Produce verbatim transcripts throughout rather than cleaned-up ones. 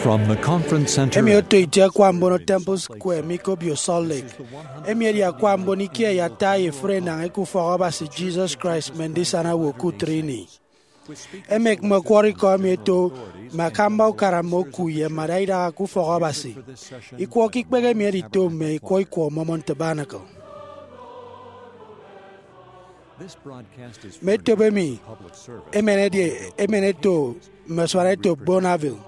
From the Conference Center. Emi oto itie akwa mbono Temple Square mi ke obio Salt Lake. Emi edi akwa mbono ikie eyata ye efuri enañ eke Ufọk Abasi Jesus Christ Mme Ndisana Owo ke Utịt Ini. Emek mme ọkwọrọ ikọ emi eto mme akamba ukara mme oku ye mme adaidaha ke Ufọk Abasi. Ikwọ ke ikpehe emi edito mme ikwọ ikwọ Mormon Tabernacle. Mme etop emi emenede emen eto mme asuanetop Bonneville.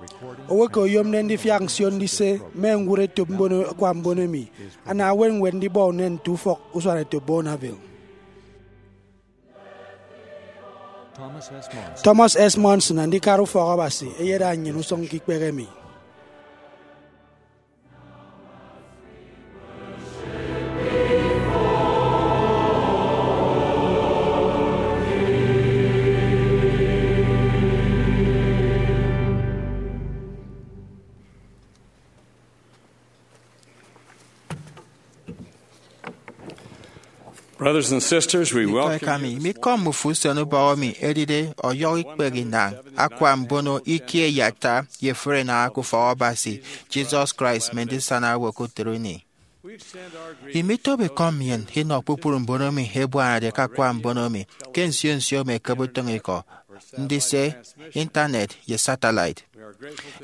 Owo eke oyomde ndifiak nsio ndise mme ñwụre etop mbono akwa mbono emi ana ewen ñwed ndibọ unen nte ufọk usuanetop Bonneville. Thomas S. Monson, andikara Ufọk Abasi, eyeda nnyịn usụñ ke ikpehe emi. Brothers and sisters, we welcome you this morning. Ikọ emi, mi kọm ufo usen ubọhọ mi edide ọyọhọ ikpehe inañ akwa mbono ikie eyata ye efuri enañ eke Ufọk Abasi Jesus Christ Mme Ndisana Owo ke Utịt Ini. Imitobo ikọ nnyịn inọ kpukpru mbono emi ebuanade ke akwa mbono emi ke nsio nsio mme ekebe utịñikọ, ndise, intanet, ye satellite.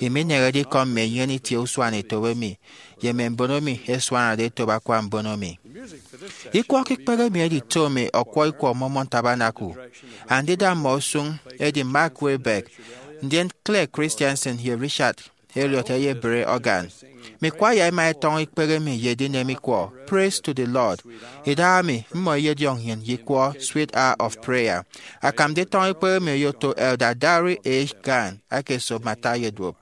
Imineñede ikọ mme enyene itie usuanetop emi ye mme mbono emi ẹsuanade etop akwa mbono emi. Ikwọ ke ikpehe emi edito mme ọkwọ ikwọ Mormon Tabernacle, andida mmọ usụñ edi Mark Wilberg, ndien Clay Christensen ye Richard Elliott ẹyebre organ. Mme kwaya ẹma ẹtọñọ ikpehe emi ye edinem ikwọ Praise to the Lord. Idahaemi mmọ ẹyediọñ nnyịn ye ikwọ Sweet Hour of Prayer. Akam nditọñọ ikpehe emi oyoto Elder Darrell H. Gann aka esop mme ata ẹyeduop.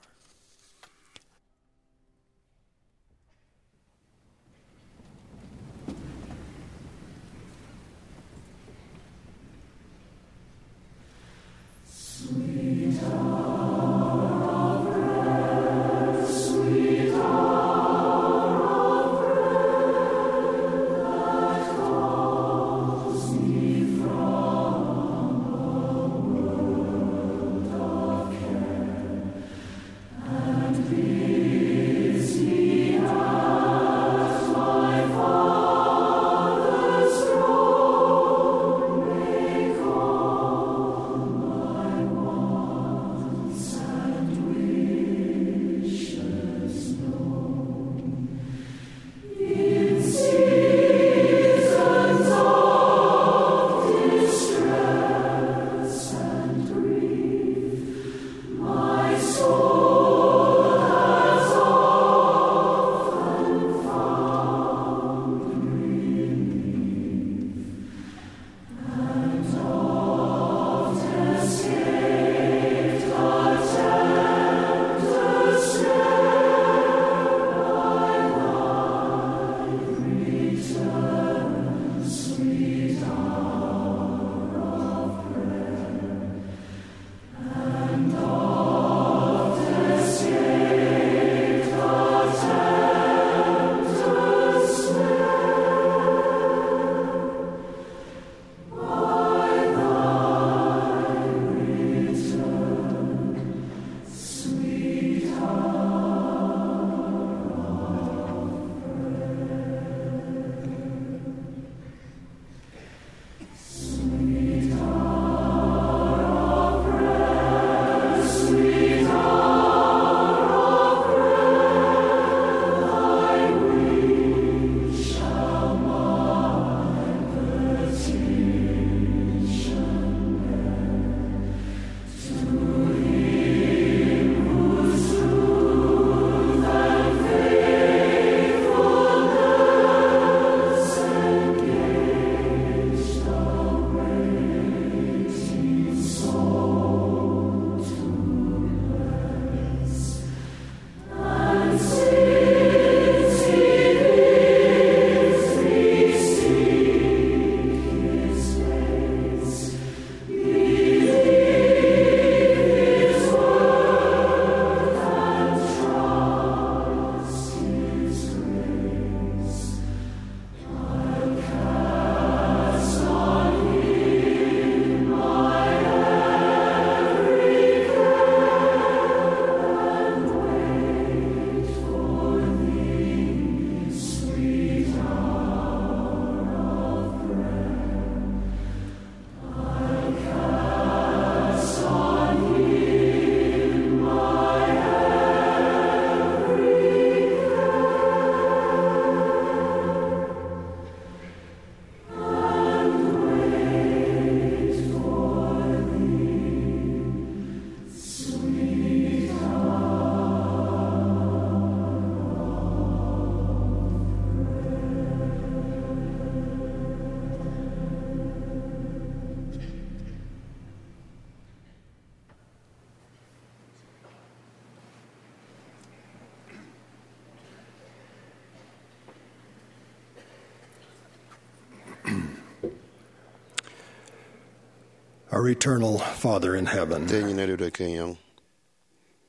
Our eternal Father in heaven, Nte enyịn odude ke enyọñ,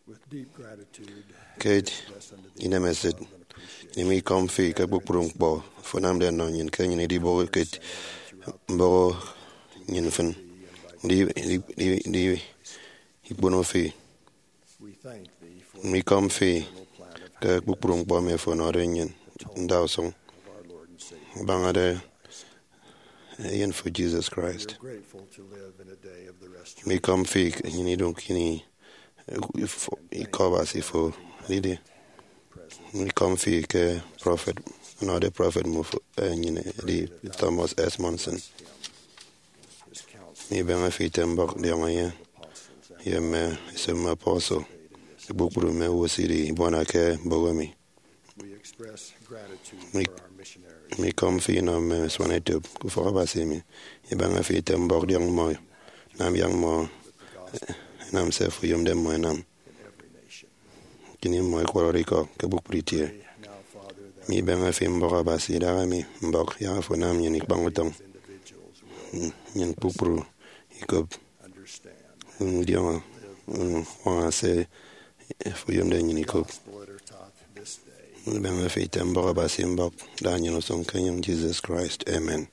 with deep gratitude, ke inemesịt, emi ikọm fi ke kpukpru ñkpọ fo anamde ọnọ nnyịn, ke nnyịn idiboho ke mbọhọ nnyịn mfịn, ndi, ndi, ndi, ndi ikpono fi. We thank thee for Mme ikọm fi ke kpukpru ñkpọ emi fo ọnọde nnyịn ndausụñ, of our Lord and Savior. Abañade Eyen fo Jesus Christ. We are grateful to live in a day of the restoration. Mme ikọm fi ke nnyịn iduñ ke ini ikọ Abasi fo edide. Mme ikọm fi ke prọfet, ọnọde prọfet mmọ fo, eh, nnyịn edi Thomas S. Monson. Mibeñe fi ite mbọk diọñ enye ye mme esop mme apostle, kpukpru mme owo sidi ibuana ke mbọhọ emi. We express gratitude Mi-, for our missionaries. Mikọm fi inọ mme asuan etop ke ufọk Abasi emi. Ibeñe fi ite mbọk diọñ mmọ, nam yak mmọ, eh, enam se fo oyomde mmọ enam. In every nation. Kini mmọ ekwọrọde ikọ ke kpukpru itie. Pray now, Father, that Mibeñe fi mbọk Abasi idaha emi, mbọk yak afo nam nnyịn ikpañ utọñ. Individuals will Nnyịn kpukpru ikop understand. Ndiọñọ, uñwaña se fo oyomde nnyịn ikop. Gospel that are taught this day. Ibeñe fi ite mbọk Abasi mbọk, da nnyịn usụñ ke enyịñ Jesus Christ. Amen.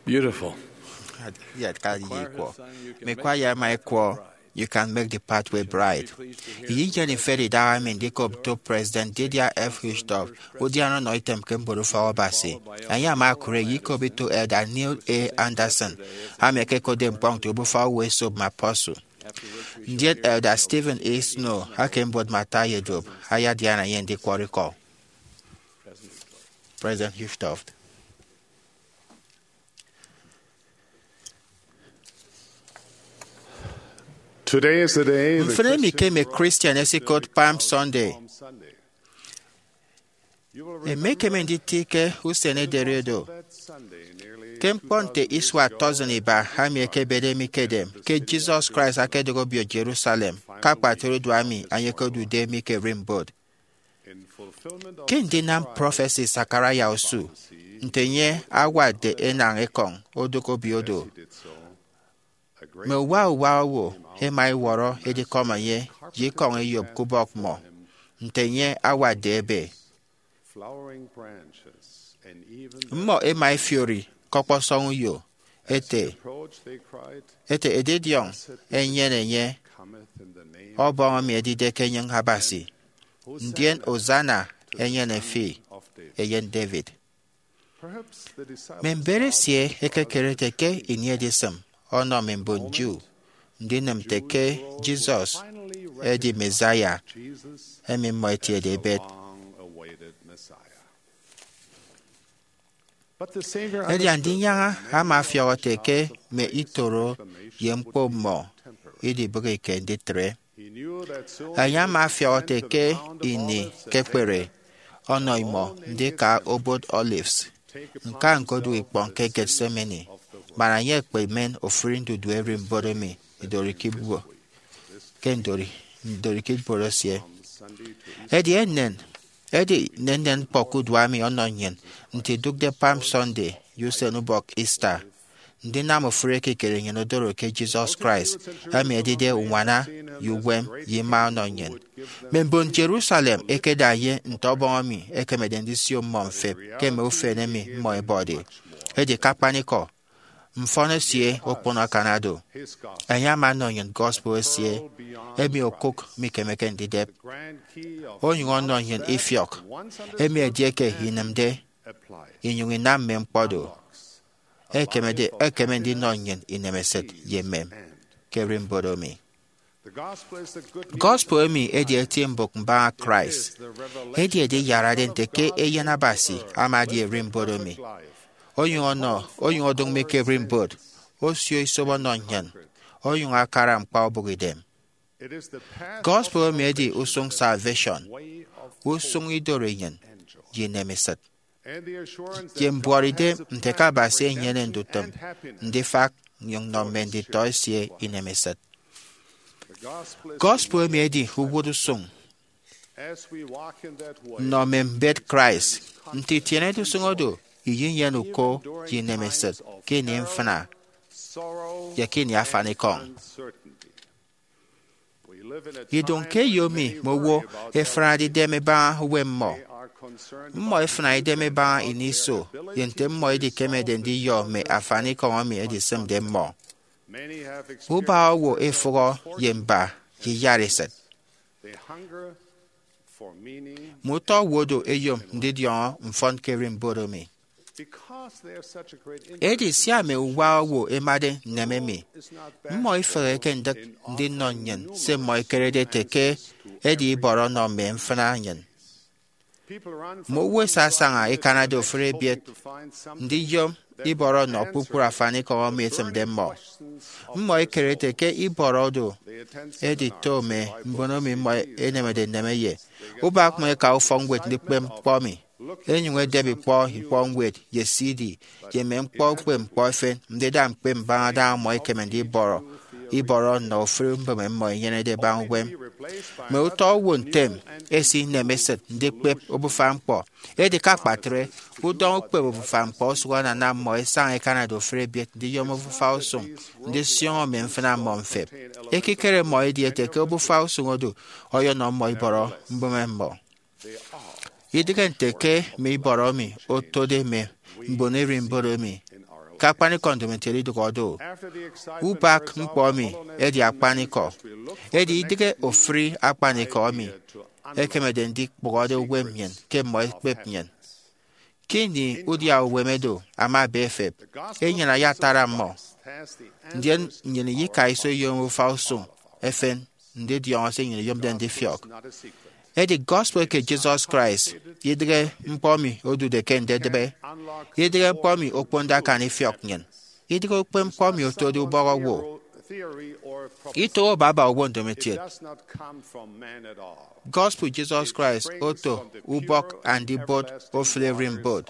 Beautiful. Iyat ka ye ikwọ. Mi kwaya ẹma ẹkwọ You Can Make the Pathway Bright. Iyinyene ifet idaha mi ndikop nto President Dieter F. Uchtdorf, udiana ọnọ item ke mbuọtufọk Abasi. Enye ama okụre ye ikop ito Elder Neil A. Andersen, ama ekekotde ñkpọñ nte obufa owo esop mme apostle. Ndien Elder Stephen A. Snow, akembuot mme ata ye duop, ayadiana enye ndikwọrọ ikọ. President Uchtdorf. Today is the day the Mfịn emi ke mme Christian ẹsikot Palm Sunday. Emekeme nditi ke usen ederi do. Ke ñkpọ nte isua tọsin iba, ami ekebede mi ke edem ke Jesus Christ akedọk obio Jerusalem, ke akpatre udu ami enye okodude mi ke erimbot. Ke ndinam prọfesi Zechariah osu, nte enye awatde enañ ekọñ odụk obio do, mme uwa uwa owo ẹma ẹwọrọ edikọm enye ye ikọñ eyop ke ubọk mmọ, nte enye awatde ebe. Mmọ ẹma ẹfiori ke ọkpọsọñ uyo, ete, ete, Edidiọñ enyene enye, Ọbọñ emi edide ke enyịñ Abasi, ndien Hosanna enyene fi, Eyen David. Mme mbet esie ẹkekere ete ke ini edisịm ọnọ mme mbon Jew ndinịm nte ke Jesus edi Messiah emi mmọ etiede ibet. Edi Andinyaña ama afiọk ete ke mme itoro ye ñkpo mmọ idibịghike nditre. Enye ama afiọk ete ke ini ke ekpere ọnọ imọ ndika obot Olives, ñka ñkodu ikpọñ ke Gethsemane, man enye ekpemen ofụri ndudue erimbot emi idori ke ibuot, ke ndori, ndori ke ibuot esie. Edi enen, edi nnennen ñkpọ ke uduak mi ọnọ nnyịn nte idụkde Palm Sunday ye usen ubọk Easter. Ndinam ofụri ekikere nnyịn odoro ke Jesus Christ, emi edide uñwana ye uwem ye ima ọnọ nnyịn. Mme mbon Jerusalem ẹkeda enye nte Ọbọñ emi ẹkemede ndisio mmọ mfep ke mme ufen emi mmọ ẹbọde. Edi ke akpanikọ, mfọn esie okpono akanade. Enye ama ọnọ nnyịn gospel esie, emi okụk mikemeke ndidep, onyụñ ọnọ nnyịn ifiọk emi edieke inịmde inyụñ inam mme ñkpọ do, ekemede, ekeme ndinọ nnyịn inemesịt ye emem ke erimbot emi. Gospel emi edi eti mbụk mbaña Christ. Edi ediyarade nte ke Eyen Abasi ama edi erimbot emi. Onyụñ ọnọ, onyụñ odụñ mi ke erimbot, osio isop ọnọ nnyịn, onyụñ akara ñkpa obụk idem. Gospel emi edi usụñ salvation, usụñ idoro enyịn ye inemesịt, ye mbuọtidem nte ke Abasi enyene ndutịm ndifak nnyụñ nnọ mme nditọ esie inemesịt. Gospel emi edi uwụt usụñ. Nnọ mme mbet Christ, nte itienede usụñ odu, iyinyene uko ye inemesịt ke ini mfịna ye ke ini afanikọñ. Idụñ ke eyo emi mme owo ẹfrade idem ẹbaña uwem mmọ. Mmọ ẹfịna idem ẹbaña ini iso ye nte mmọ edikemede ndiyọ mme afanikọñ emi edisịmde mmọ. Ubaña owo ẹfụhọ ye mba ye iyatesịt. Mme utọ owo do ẹyom ndidiọñọ mfọn ke erimbot emi. Edi sia mme uwa owo ẹmade nneme emi, mmọ ifeheke ndịk ndinọ nnyịn se mmọ ẹkerede ete ke edi ibọrọ ọnọ mme mfịna nnyịn. Mme owo ẹsasaña ẹkanade ofụri ebiet ndiyom ibọrọ nnọ kpukpru afanikọñ emi esịmde mmọ. Mmọ ẹkere ete ke ibọrọ do edito mme mbon emi mmọ ẹnemede nneme ye. Ubak mmọ ẹka ufọkñwed ndikpep ñkpọ emi, ẹnyụñ ẹdep ikpọ ikpọ ñwed ye C D ye mme ñkpọ ukpepñkpọ efen ndida ñkpep mbaña daña mmọ ẹkeme ndibọrọ ibọrọ nnọ ofụri mbịme mmọ ẹnyenede ẹbaña uwem. Mme utọ owo ntem ẹsinem esịt ndikpep obufa ñkpọ. Edi ke akpatre, udọñ ukpep obufa ñkpọ osụk anana mmọ ẹsaña ẹkanade ofụri ebiet ndiyom obufa usụñ ndisioño mme mfịna mmọ mfep. Ekikere mmọ edi ete ke obufa usụñ odu ọyọnọ mmọ ibọrọ mbịme mmọ. Idịghe nte ke mme ibọrọ emi otode mme mbon erimbot emi, ke akpanikọ ndomokiet idụhọde-o. Ubak ñkpọ emi edi akpanikọ. Edi idịghe ofụri akpanikọ emi ẹkemede ndikpụhọde uwem nnyịn ke mmọ ẹkpep nnyịn. Ke ini udia uwem oro ama ebe efep, enyịn ayatara mmọ, ndien nnyịn iyika iso iyom ufausụñ efen ndidiọñọ se nnyịn iyomde ndifiọk. Edi gospel ke Jesus Christ idịghe ñkpọ emi odude ke ndedịbe, idịghe ñkpọ emi okponde akan ifiọk nnyịn, idịghe ukpepñkpọ emi otode ubọk owo, ito owo baba owo ndomokiet. Gospel Jesus Christ oto ubọk Andibot ofụri ererimbot,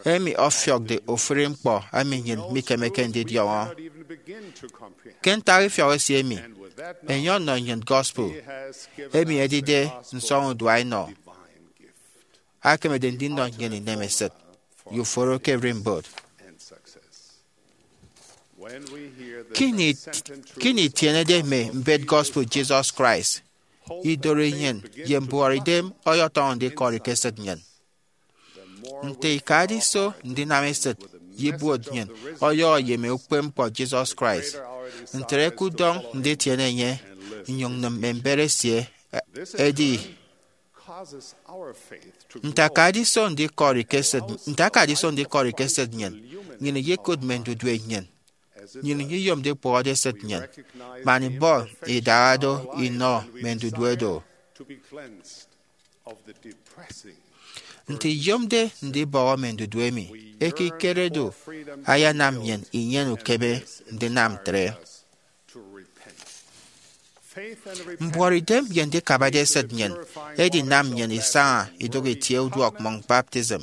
emi ọfiọkde ofụri ñkpọ emi nnyịn mikemeke ndidiọñọ. Ke ntak ifiọk esie emi, enye ọnọ nnyịn gospel, emi edide nsọñurua enọ, akemede ndinọ nnyịn inemesịt ye uforo ke ererimbot. Ke ini, ke ini itienede mme mbet gospel Jesus Christ, idoro inyịn ye mbuọtidem ọyọtọñọ ndikọri ke esịt nnyịn. Nte ikade iso ndinam esịt ye ibuot nnyịn ọyọhọ ye mme ukpepñkpọ Jesus Christ, ntre ke udọñ nditiene enye nnyụñ nnịm mme mbet esie edi. Nte akade iso ndikọri ke esịt, nte akade iso ndikọri ke esịt nnyịn, nnyịn iyekụt mme ndudue nnyịn, nnyịn iyomde ikpụhọde esịt nnyịn, man ibọ idaha do inọ mme ndudue do. Nte iyomde ndibọhọ mme ndudue emi, ekikere do ayanam nnyịn inyene ukeme ndinam ntre. Mbuọtidem ye ndikabade esịt nnyịn edinam nnyịn isaña idụhe itie uduọkmọñ baptism.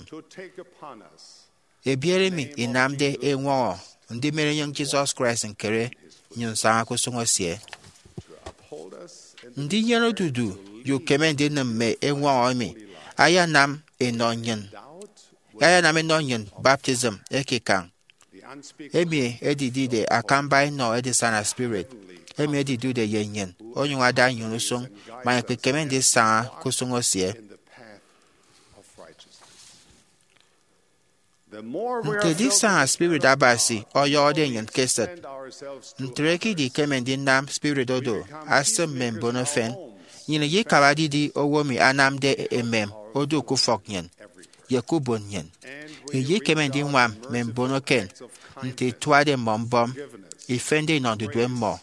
Ebiere emi inamde eñwọñọ ndimenenyịñ Jesus Christ ñkere nnyụñ nsaña ke usụñ esie. Ndinyene odudu ye ukeme ndinịm mme eñwọñọ emi ayanam enọ nnyịn, ayanam enọ nnyịn baptism ekikañ, emi edidide akamba enọ edisana spirit, emi edidude ye nnyịn, onyụñ ada nnyịn usụñ, man ikpikeme ndisaña ke usụñ esie. Nte edisaña spirit Abasi ọyọhọde nnyịn ke esịt, ntre ke idikeme ndinam spirit oro asịm mme mbono efen, nnyịn iyikabade idi owo emi anamde emem odu ke ufọk nnyịn ye ke ubon nnyịn. Iyikeme ndiñwam mme mbono eken nte ituade mmọ mbọm, ifende inọ ndudue mmọ,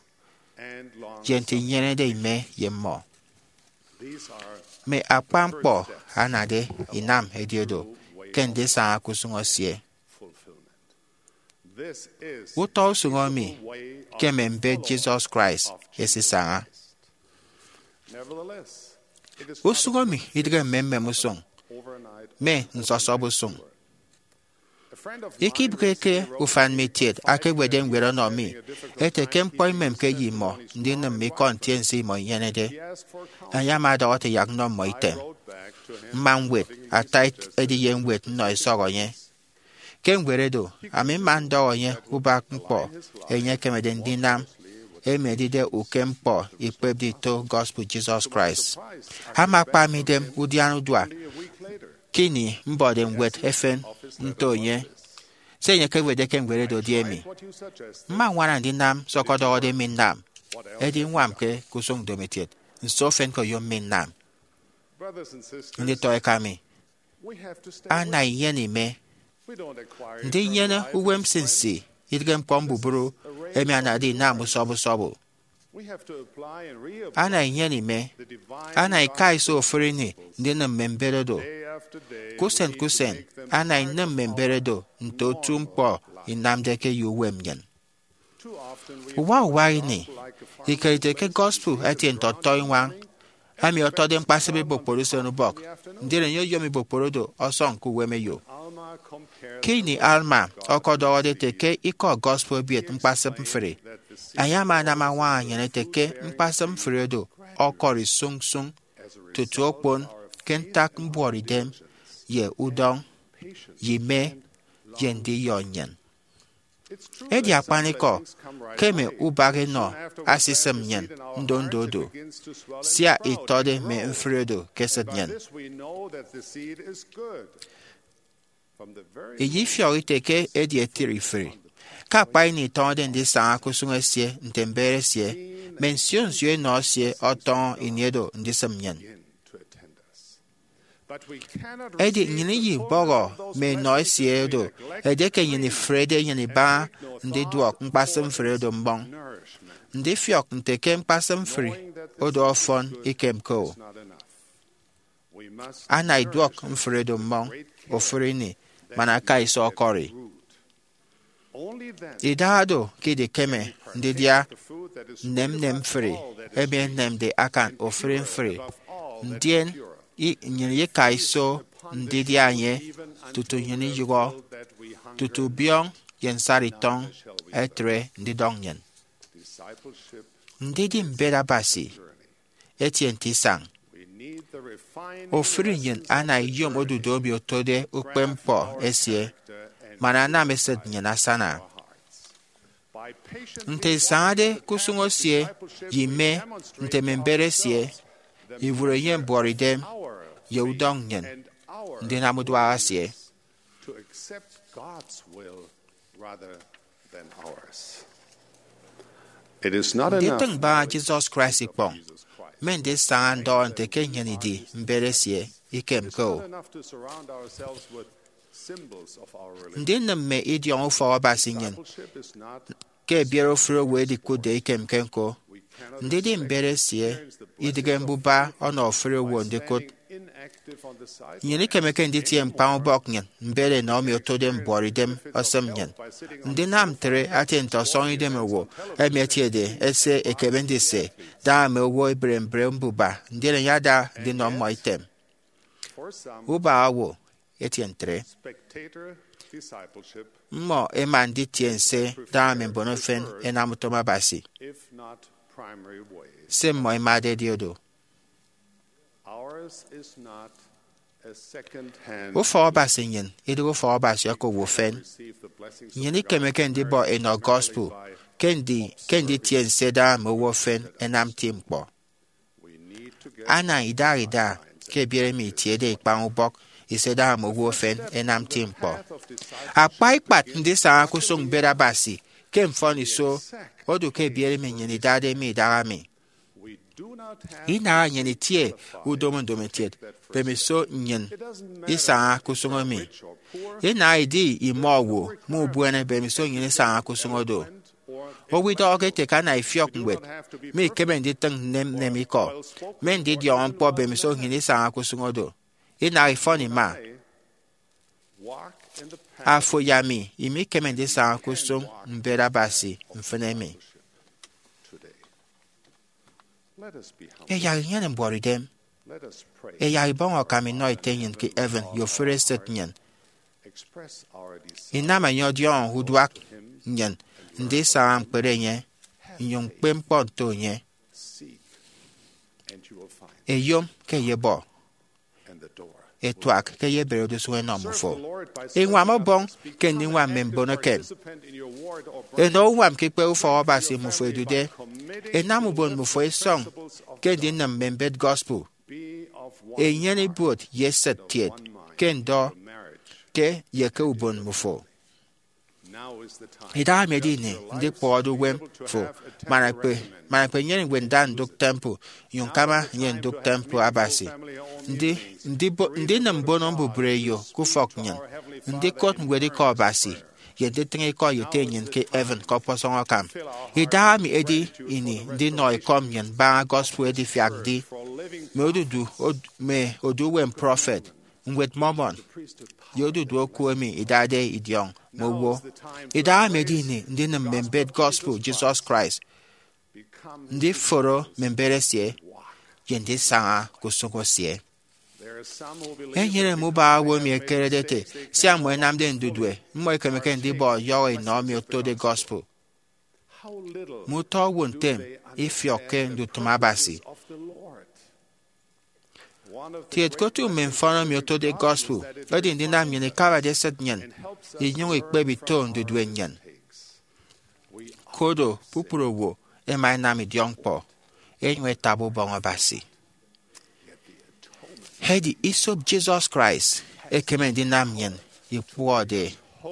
ye nte inyenede ime ye mmọ. Mme akpan ñkpọ anade inam edi oro ke ndisaña ke usụñ esie. Utọ usụñ emi ke mme mbet Jesus Christ ẹsisaña. Usụñ emi idịghe mme mmem usụñ, mme nsọsọp usụñ. Ikebịghike ufan mi kiet akewetde ñwed ọnọ mi ete ke ñkpọ imemke ye imọ ndinịm mme ikọ ntiense imọ inyenede. Enye ama ọdọhọ ete yak nnọ mmọ item. Mma ñwet ata ediye ñwed nnọ isọk enye. Ke ñwed edo, ami mma ndọhọ enye ubak ñkpọ enye ekemede ndinam, emi edide ukem ñkpọ ikpepde ito gospel Jesus Christ. Ama akpa mi idem udiana udua ke ini mbọde ñwed efen nto enye. Se enye ekewetde ke ñwed edo edi emi: Mma ññwana ndinam se ọkọdọhọde mi nnam, edi ññwamke ke usụñ ndomokiet. Nso efen ke oyom mi nnam? Nditọ eka mi, ana inyene ime. Ndinyene uwem nsinsi idịghe ñkpọ mbubru emi anade inam usọbọ usọbọ. Ana inyene ime. Ana ika iso ofụri ini ndinịm mme mbet oro. Ke usen ke usen, ana inịm mme mbet oro nte otu ñkpọ inamde ke ye uwem nnyịn. Uwa uwa ini, ikerede ke gospel etie nte ọtọiñwañ emi ọtọde ñkpasịp ibụkpọt usen ubọk, ndien enye oyom ibụkpọt oro ọsọñ ke uwem eyo. Ke ini Alma ọkọdọhọde ete ke ikọ gospel ebiet ñkpasịp mfri, enye ama anam añwaña nnyịn ete ke ñkpasịp mfri oro ọkọri sụñsụñ tutu okpon ke ntak mbuọtidem ye udọñ ye ime ye ndiyọ nnyịn. Edi akpanikọ ke mme ubak enọ asisịm nnyịn ndondo do, sia itọde mme mfri oro ke esịt nnyịn. Iyifiọk ite ke edi etre ifụri. Ke akpa ini itọñọde ndisaña ke usụñ esie nte mbet esie, mme nsio nsio enọ esie ọtọñọ ini edo ndisịm nnyịn. Edi nnyịn iyibọhọ mme enọ esie do, edieke nnyịn ifrede enyịn ibaña ndiduọk ñkpasịp mfri do mmọñ. Ndifiọk nte ke ñkpasịp mfri odo ọfọn ikemke-o. Ana iduọk mfri do mmọñ ofụri ini man aka iso ọkọri. Idaha do ke idikeme ndidia nnemnem mfri emi enemde akan ofụri mfri, ndien i- nnyịn iyika iso ndidia enye tutu nnyịn iyụhọ, tutu biọñ ye nsaritọñ ẹtre ndidọñ nnyịn. Ndidi mbet Abasi etie nte isañ. Ofụri nnyịn ana iyom odudu emi otode ukpepñkpọ esie, man anam esịt nnyịn asana. Nte isañade ke usụñ esie ye ime nte mme mbet esie, iwụre ye mbuọtidem ye udọñ nnyịn ndinam uduak esie. Nditịñ baña Jesus Christ ikpọñ, mme ndisaña ndọhọ nte ke nnyịn idi mbet esie, ikemke-o. Ndinịm mme idiọñ ufọk Abasi nnyịn ke ebiere ofụri owo edikụtde ikemke ñko. Ndidi mbet esie idịghe mbuba ọnọ ofụri owo ndikụt. Nnyịn ikemeke nditie ñkpañ ubọk nnyịn mbet enọ emi otode mbuọtidem osịm nnyịn. Ndinam ntre atie nte ọsọñ idem owo emi etiede ese ekeme ndise daña mme owo ebre mbre mbuba, ndien enye ada ndinọ mmọ item. Ubaña owo etie ntre. Mmọ ẹma nditie nse daña mme mbon efen ẹnam utom Abasi. Se mmọ ẹmade edi odo. Ufọk Abasi nnyịn idịghe ufọk Abasi ọkọwọ ufen. Nnyịn ikemeke ndibọ enọ gospel ke ndi- ke nditie nse daña mme owo efen ẹnam nti ñkpọ. Ana idaha ida ke ebiere emi itiede ikpañ ubọk ise daña mme owo efen ẹnam nti ñkpọ. Akpa ikpat ndisaña ke usụñ mbet Abasi ke mfọniso odu ke ebiere emi nnyịn idade mi idaha mi. Inaha nnyịn itie udomo ndomokiet, mbemiso nnyịn isaña ke usụñ emi. Inaha idi imọ owo mme ubuene, mbemiso nnyịn isaña ke usụñ odo. Owo idọhọke ete ke ana ifiọk ñwed, mikeme nditịñ nnem nnem ikọ, mme ndidiọñọ ñkpọ, mbemiso nnyịn isaña ke usụñ odo. Inaha ifọn ima. Afo ye ami imikeme ndisaña ke usụñ mbet Abasi mfịn emi. Ẹyak inyene mbuọtidem. Ẹyak ibọñ akam inọ Ete nnyịn ke heaven ye ofụri esịt nnyịn. Inam enye ọdiọñọ uduak nnyịn ndisaña ñkpere enye, nnyụñ ñkpep ñkpọ nto enye. Eyom ke eyebọ, etuak ke eyebere odusuñ enọ mmufo. Iñwam Ọbọñ ke ndiñwam mme mbon eken. Enọ uñwam ke ikpe ufọk Abasi mmufo edude. Enam ubon mmufo isọñ ke ndinịm mme mbet gospel. Enyene ibuot ye esịt kiet ke ndọ ke ye ke ubon mmufo. Idahaemi edi ini ndikpụhọde uwem fo, man ekpe man ekpenyene ñwed nda ndụk temple, nyụñ ñkama enye ndụk temple Abasi. Ndi- ndibo- ndinịm mbono mbubreyo ke ufọk nnyịn, ndikot ñwed Ikọ Abasi, ye nditịñ ikọ ye Ete nnyịn ke heaven ke ọkpọsọñ akam. Idahaemi edi ini ndinọ ekọm nnyịn baña gospel edifiak ndi, mme odudu od- mme odu uwem prophet, Ñwed Mormon, ye odudu oku emi idade idiọñ mme owo. Idahaemi edi ini ndinịm mme mbet gospel Jesus Christ, ndiforo mme mbet esie, ye ndisaña ke usụñ esie. Enyene mme ubaña owo emi ẹkerede ẹte sia mmọ ẹnamde ndudue, mmọ ikemeke ndibọ ọyọhọ inọ emi otode gospel. Mme utọ owo ntem ifiọkke ndutịm Abasi. Kiet ke otu mme mfọn emi otode gospel edi ndinam nnyịn ikabade esịt nnyịn inyụñ ikpep ito ndudue nnyịn. Kodo kpukpru owo ẹma ẹnam idiọkñkpọ, ẹnyụñ ẹtabi Ubọñ Abasi. Edi isop Jesus Christ ekeme ndinam nnyịn ikpụhọde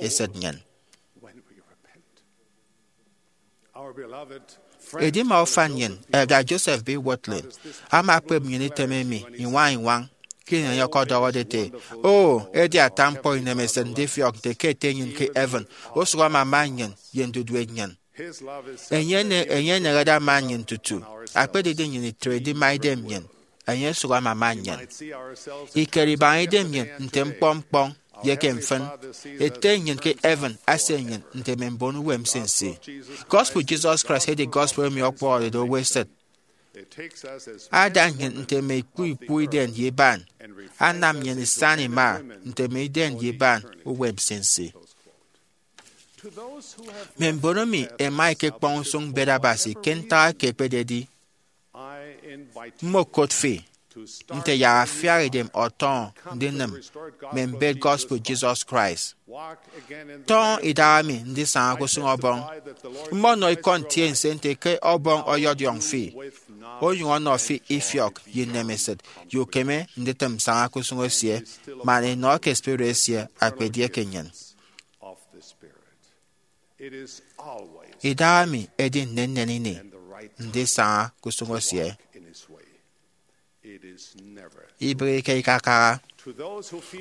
esịt nnyịn. Edima ufan nnyịn, Elder Joseph B. Wirthlin, ama akpep nnyịn item emi iñwañ-iñwañ ke ini enye ọkọdọhọde ete, O, edi ata ñkpọ inemesịt ndifiọk nte ke Ete nnyịn ke heaven osụk amama nnyịn ye ndudue nnyịn. Enye ene- enye enehede ama nnyịn tutu akpedide nnyịn itre edima idem nnyịn, enye osụk amama nnyịn. Ikere ibaña idem nnyịn nte ñkpọ-ñkpọñ ye ke mfịn, Ete nnyịn ke heaven asie nnyịn nte mme mbon uwem nsinsi. Gospel Jesus Christ edi gospel emi ọkpụhọrede owo esịt. Ada nnyịn nte mme ikpu ikpu idem ye iban, anam nnyịn isañ ima nte mme idem ye iban uwem nsinsi. Mme mbon emi ẹma ẹkekpọñ usụñ mbet Abasi ke ntak eke ekpededi, mmokot fi nte yak afiak idem ọtọñọ ndinịm mme mbet gospel Jesus Christ. Tọñọ idaha mi ndisaña ke usụñ Ọbọñ. Mmọnọ ikọ ntiense nte ke Ọbọñ ọyọdiọñ fi, onyụñ ọnọ fi ifiọk ye inemesịt, ye ukeme nditịm saña ke usụñ esie, man inọ eke spirit esie akpedieke nnyịn. Idaha mi edi nnennen ini ndisaña ke usụñ esie. Ibịghike ikakaha.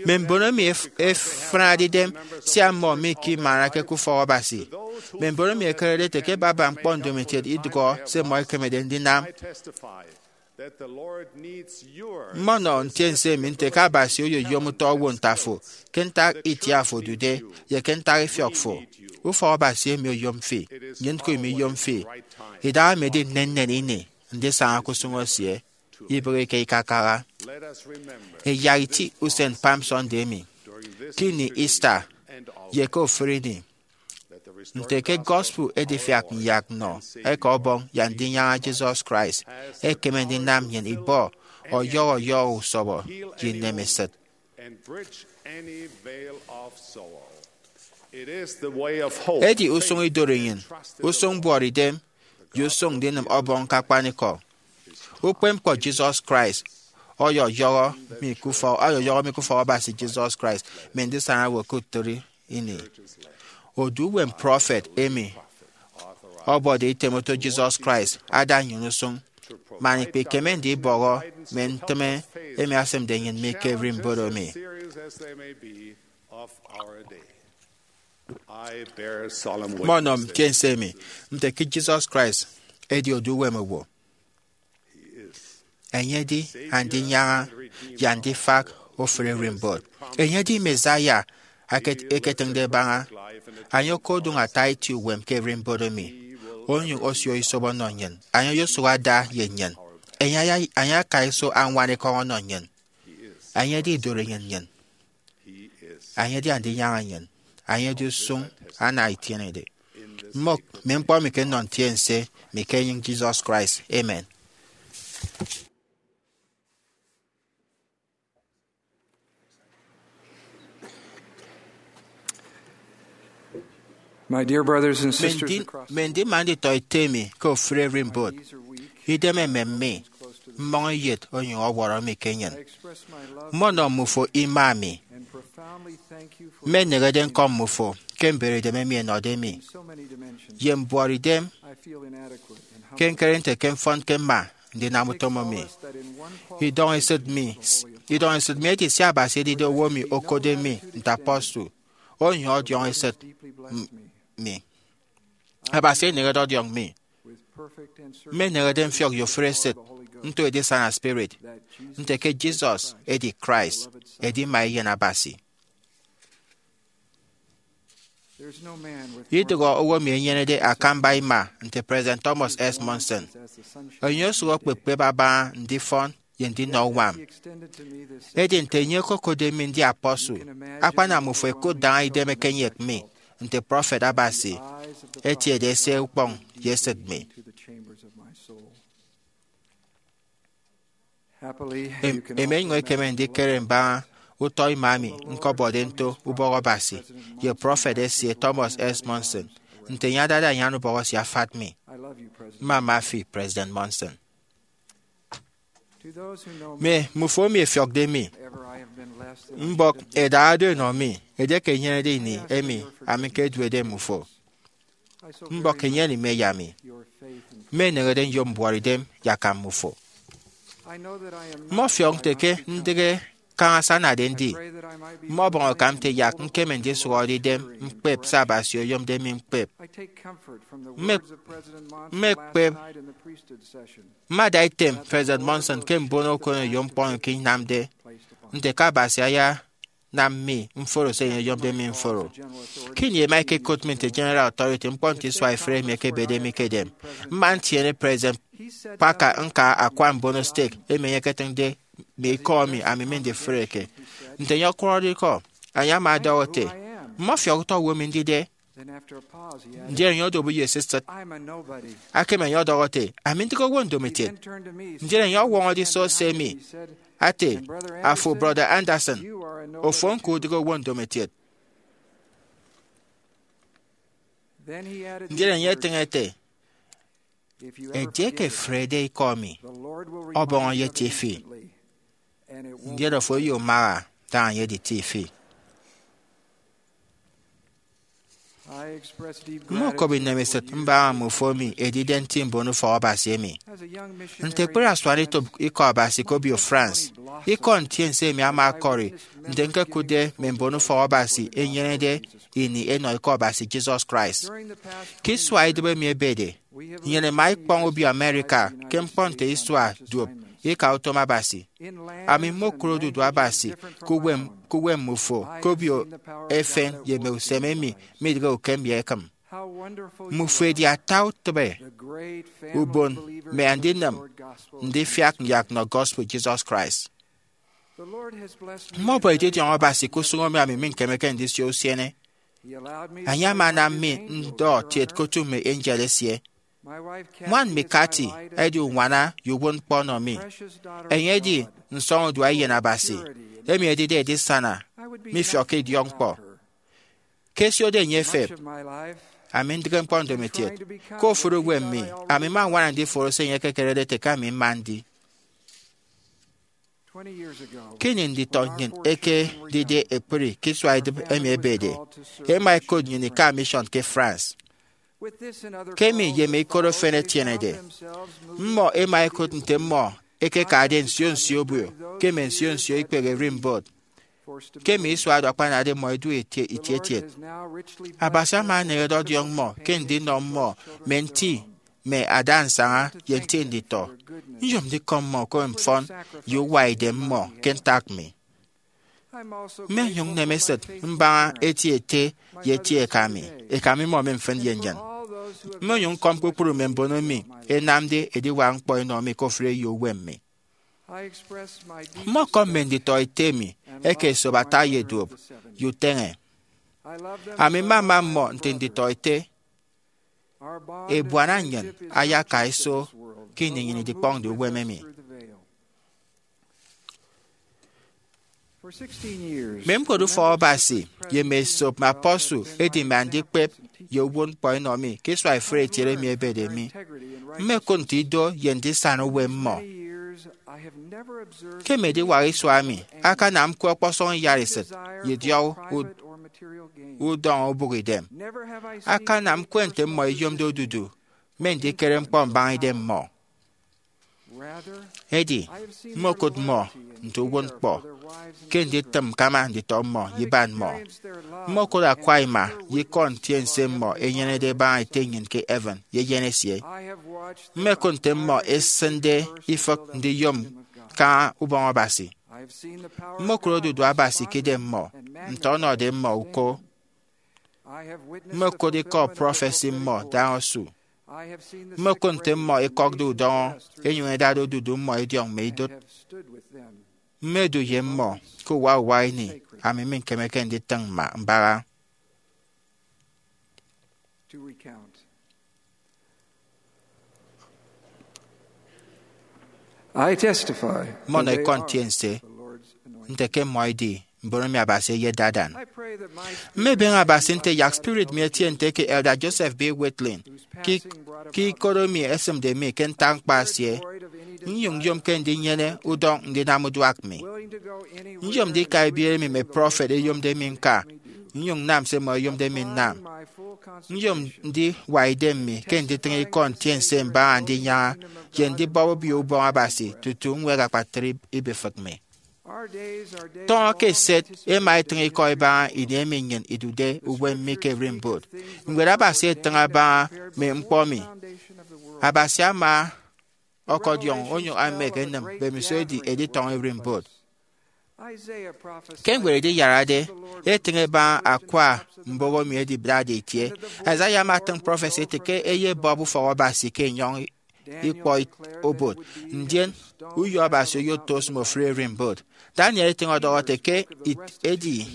Mme mbon emi ef- efịnade idem sia mmọ mike imanake ke ufọk Abasi, mme mbon emi ẹkerede ete ke baba ñkpọ ndomokiet idụhọ se mmọ ẹkemede ndinam, mmọnọ ntiense emi nte ke Abasi oyoyom utọ owo nte afo, ke ntak itie afo odude, ye ke ntak ifiọk fo. Ufọk Abasi emi oyom fi, nnyịn ñko imiyom fi. Idaha mi edi nnennen ini ndisaña ke usụñ esie. Ibịghike ikakaha. Ẹyak iti usen Palm Sunday emi, ke ini Easter, ye ke ofụri ini, nte ke gospel edifiak nyak nnọ eke Ọbọñ ye Andinyaña Jesus Christ ekeme ndinam nnyịn ibọ ọyọhọ ọyọhọ usọbọ ye inemesịt. Edi usụñ idorenyin, usụñ mbuọtidem, ye usụñ ndinịm Ọbọñ ke akpanikọ. Ukpepñkpọ Jesus Christ ọyọyọhọ mi ke ufọk, ọyọyọhọ mi ke ufọk Abasi Jesus Christ, mme ndisaña owo ke utịt ini. Odu uwem prọfet emi ọbọde item oto Jesus Christ ada nnyịn usụñ, man ikpikeme ndibọhọ mme ntịme emi asịmde nnyịn mi ke ererimbot emi. Mmọnọ ntiense emi nte ke Jesus Christ edi odu uwem owo. Enye edi Andinyaña ye Andifak ofụri ererimbot. Enye edi Messiah eke- eketịñde ẹbaña. Enye okodụñ ata eti uwem ke ererimbot emi, onyụñ osio isobo ọnọ nnyịn. Enye oyosụk ada ye nnyịn. Enye aya- enye akaiso añwan ekọñ ọnọ nnyịn. Enye edi idorenyin nnyịn. Enye edi Andinyaña nnyịn. Enye edi usụñ ana itienede. Mmok mme ñkpọ emi ke nnọ ntiense mi ke enyịñ Jesus Christ. Amen. My dear brothers and sisters across the world, mme ndima nditọ ete mi ke ofụri ererimbot, idem emem mi, mmọñ eyet onyụñ ọwọrọ mi ke enyịn. Mmọnọ mmufo ima mi. Mmeneñede ñkọm mmufo ke mberedem emi ẹnọde mi ye mbuọtidem ke ñkere nte ke mfọnke mma ndinam utom emi. Idọñ esịt mi, idọñ esịt mi edi sia Abasi edide owo emi okode mi nte apostle, onyụñ ọdiọñ esịt mi. Abasi eneñede ọdiọñ mi. Mmeneñede mfiọk ye ofụri esịt nto edisana spirit nte ke Jesus edi Christ, edima Eyen Abasi. Idụhe owo emi enyenede akamba ima nte President Thomas S. Monson. Enye osụk okpepkpep abaña ndifọn ye ndinọ uñwam. Edi nte enye okokode mi ndi apostle, akpanam mmufo ẹkụt daña idem ẹkenyek mi nte prọfet Abasi etiede esie ukpọñ ye esịt mi. Em- emi enyụñ ekeme ndikere mbaña utọ ima emi ñkọbọde nto ubọk Abasi ye prọfet esie Thomas S. Monson, nte enye adade anyan ubọk esie afat mi. Mmama fi, President Monson. Mme mmufo emi ẹfiọkde mi, mbọk ẹdara do ẹnọ mi, edieke inyenede ini emi ami ñkeduede mmufo. Mbọk enyene ime ya mi, mme eneñede nyom mbuọt idem yakam mmufo. Mmọfiọk nte ke ndịghe kaña se anade ndi. Mmọbọñ akam nte yak ñkeme ndisụhọde idem ñkpep se Abasi oyomde mi ñkpep. Mme- mmekpep. Mmada item President Monson ke mbono okoneyo ñkpọ eke inamde, nte ke Abasi ayanam mi mforo se enye oyomde mi mforo. Ke ini ẹma ẹkekot mi nte General Authority, ñkpọ nte isua ifụre emi ekebede mi ke edem. Mma ntiene President Packer ñka akwa mbono stake emi enye eketịñde mme ikọ emi ami mindifreke. Nte enye ọkwọrọde ikọ, enye ama ọdọhọ ete, "Mmọfiọk utọ owo emi ndide." Ndien enye odobo ye esisịt. Akam enye ọdọhọ ete, "Ami ndịghe owo ndomokiet." Ndien enye ọwọñọ ediso se emi, ete, "Afo, Brọda Anderson, ofo ñko udịghe owo ndomokiet." Ndien enye etịñ ete, "Edieke efrede ikọ mi, Ọbọñ eyetie fi, ndien ofo oyommaha daña enye editie fi." Mmokop inemesịt mbaña mmufo emi edide nti mbon ufọk Abasi emi. Nte ekpri asuanetop Ikọ Abasi ke obio France, ikọ ntiense emi ama ọkọri nte ñkekụtde mme mbon ufọk Abasi ẹnyenede ini ẹnọ Ikọ Abasi Jesus Christ. Ke isua idịbi emi ebede, nnyịn ima ikpọñ obio America ke ñkpọ nte isua duop ika utom Abasi. Ami mmokụre odudu Abasi ke uwem, ke uwem mmufo ke obio efen ye mme usem emi midịghe ukem ye ekịm. Mmufo ẹdi ata utịbe ubon mme andinịm ndifiak nyak nnọ gospel Jesus Christ. Mmọbọ edidiọñ Abasi ke usụñ emi ami miñkemeke ndisio usiene. Enye ama anam mi ndọ kiet ke otu mme angel esie. Ñwan mi Kathy edi uñwana ye uwụtñkpọ ọnọ mi. Enye edi nsọñurua Eyen Abasi, emi edide edisana mifiọkke idiọkñkpọ. Ke ẹsiode enye ẹfep, ami ndịghe ñkpọ ndomokiet. Ke ofụri uwem mi, ami mma ññwana ndiforo se enye ekekerede ete ke ami mma ndi. Ke ini nditọ nnyịn ẹkedide ekpri ke isua idịbi emi ebede, ẹma ẹkot nnyịn ika mission ke France. Ke emi ye mme ikot efen ẹtienede, mmọ ẹma ẹkụt nte mmọ ẹkekade nsio nsio obio ke mme nsio nsio ikpehe ererimbot, ke mme isua oro akpanade mmọ ẹdu eti- etietiet. Abasi ama eneñede ọdiọñ mmọ ke ndinọ mmọ mme nti mme ada nsaña ye nti nditọ. Nyom ndikọm mmọ ke mfọn ye uwa idem mmọ ke ntak mi. Mmenyụñ nnem esịt mbaña eti ete ye eti eka mi, eka mi mmọ mfịn ye nnyịn. Mmenyụñ ñkọm kpukpru mme mbon emi ẹnamde ediwak ñkpọ ẹnọ mi ke ofụri eyo uwem mi. Mmọkọm mme nditọ ete mi eke esop ata ye duop ye uteñe. Ami mmama mmọ nte nditọ ete. Ebuana nnyịn ayaka iso ke ini nnyịn idikpọñde uwem emi. Mme ñkpọt ufọk Abasi ye mme esop mme apostle ẹdima ndikpep ye uwụtñkpọ ẹnọ mi ke isua ifụre etiet emi ebede mi. Mmekụt nte ido ye ndisana uwem mmọ. Ke mme ediwak isua mi, akanam ñkwe ọkpọsọñ iyaresịt ye idiọk ud- udọñ obụk idem. Akanam ñkwe nte mmọ ẹyomde odudu mme ndikere ñkpọ mbaña idem mmọ. Edi, mmokụt mmọ nte uwụtñkpọ ke nditịm ñkama nditọ mmọ ye iban mmọ. Mmokụt akwa ima ye ikọ ntiense mmọ ẹnyenede ẹbaña Ete nnyịn ke heaven ye eyen esie. Mmekụt nte mmọ ẹsịnde ifịk ndiyom kaña ubọñ Abasi. Mmokụt odudu Abasi ke idem mmọ, nte ọnọde mmọ uko. Mmokụt ikọ prọfesi mmọ daña osu. Mmokụt nte mmọ ẹkọkde udọñọ, ẹnyụñ ẹdade odudu mmọ ẹdiọñ mme idụt. Mmedu ye mmọ ke uwa uwa ini, ami miñkemeke nditịñ mma mbaña. I testify. Mmọnọ ikọ ntiense nte ke mmọ ẹdi mbon emi Abasi eyetde adan. Mmebeñe Abasi nte yak spirit mi etie nte ke Elder Joseph B. Wirthlin, ke, ke ikot emi esịmde mi ke ntak ñkpa esie, Nyom nyomke ndinyene udọñ ndinam uduak mi. Nyom ndika ibiere emi mme prọfet eyomde mi nka, nyom nnam se mmọ eyomde mi nnam. Nyom ndiwa idem mi ke nditịñ ikọ ntiense mbaña ndinyaña ye ndibọp Obio Ubọñ Abasi tutu ñwed akpatre ibifịk mi. Tọñọ ke eset ema etịñ ikọ ibaña ini emi nnyịn idude uwem mi ke ererimbot. Ñwed Abasi etịñ abaña mme ñkpọ emi. Abasi ama ọkọdiọñ onyụñ amek enịm mbemiso edi editọñọ ererimbot. Ke ñwed Ediyarade etịñ ebaña akwa mboho emi edibịtde itie, Isaiah ama atịñ prọfesi ete ke eyebọp ufọk Abasi ke enyọñ ikpọ obot, ndien uyo Abasi oyoto osịm ofụri ererimbot. Daniel etịñ ọdọhọ ete ke edi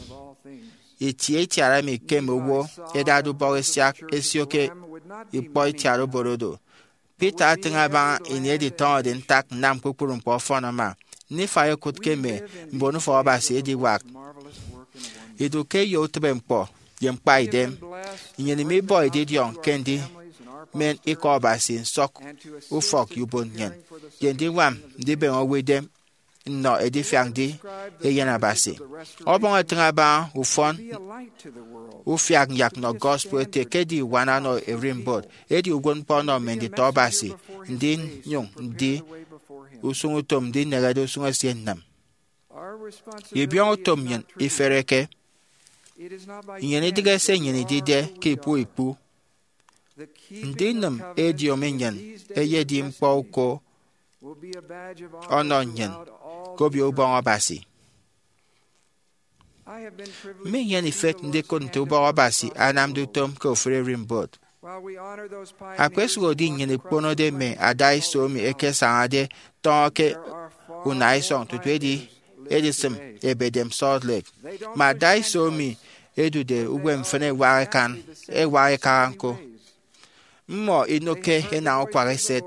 itie itiara emi ikem owo edade ubọk esiak esio ke ikpọ itiat obot odo. Peter atịñ abaña ini editọñọde ntak nnam kpukpru ñkpọ ọfọn ama. Nifai okụt ke mme mbon ufọk Abasi ediwak idu ke eyo utịbeñkpọ ye ñkpaidem. Nnyịn imibọ edidiọñ ke ndimen ikọ Abasi nsọk ufọk ye ubon nnyịn, ye ndiñwam ndibeñe owo idem nnọ edifiak ndi Eyen Abasi. Ọbọñ etịñ abaña ufọn ufiak nyak nnọ gospel ete ke edi uwan ọnọ ererimbot, edi uwụtñkpọ ọnọ mme nditọ Abasi, ndinyụñ ndi usụñutom ndinehede usụñ esie nnịm. Ibiọñutom nnyịn ifereke. Nnyịn idịghe se nnyịn idide ke ikpu ikpu. Ndinịm ediomi nnyịn eyedi ñkpọ uko ọnọ nnyịn ke Obio Ubọñ Abasi. Mminyene ifet ndikụt nte ubọk Abasi anamde utom ke ofụri ererimbot. Akpesụhodi nnyịn ikponode mme adaiso emi ẹkesañade tọñọ ke unaisọñ tutu edi edisịm ebedem Salt Lake, mme adaiso emi ẹdude uwem mfịn ẹwak ẹkan, ẹwak ẹkaha ñko. Mmọ inụkke enañ ukwak eset.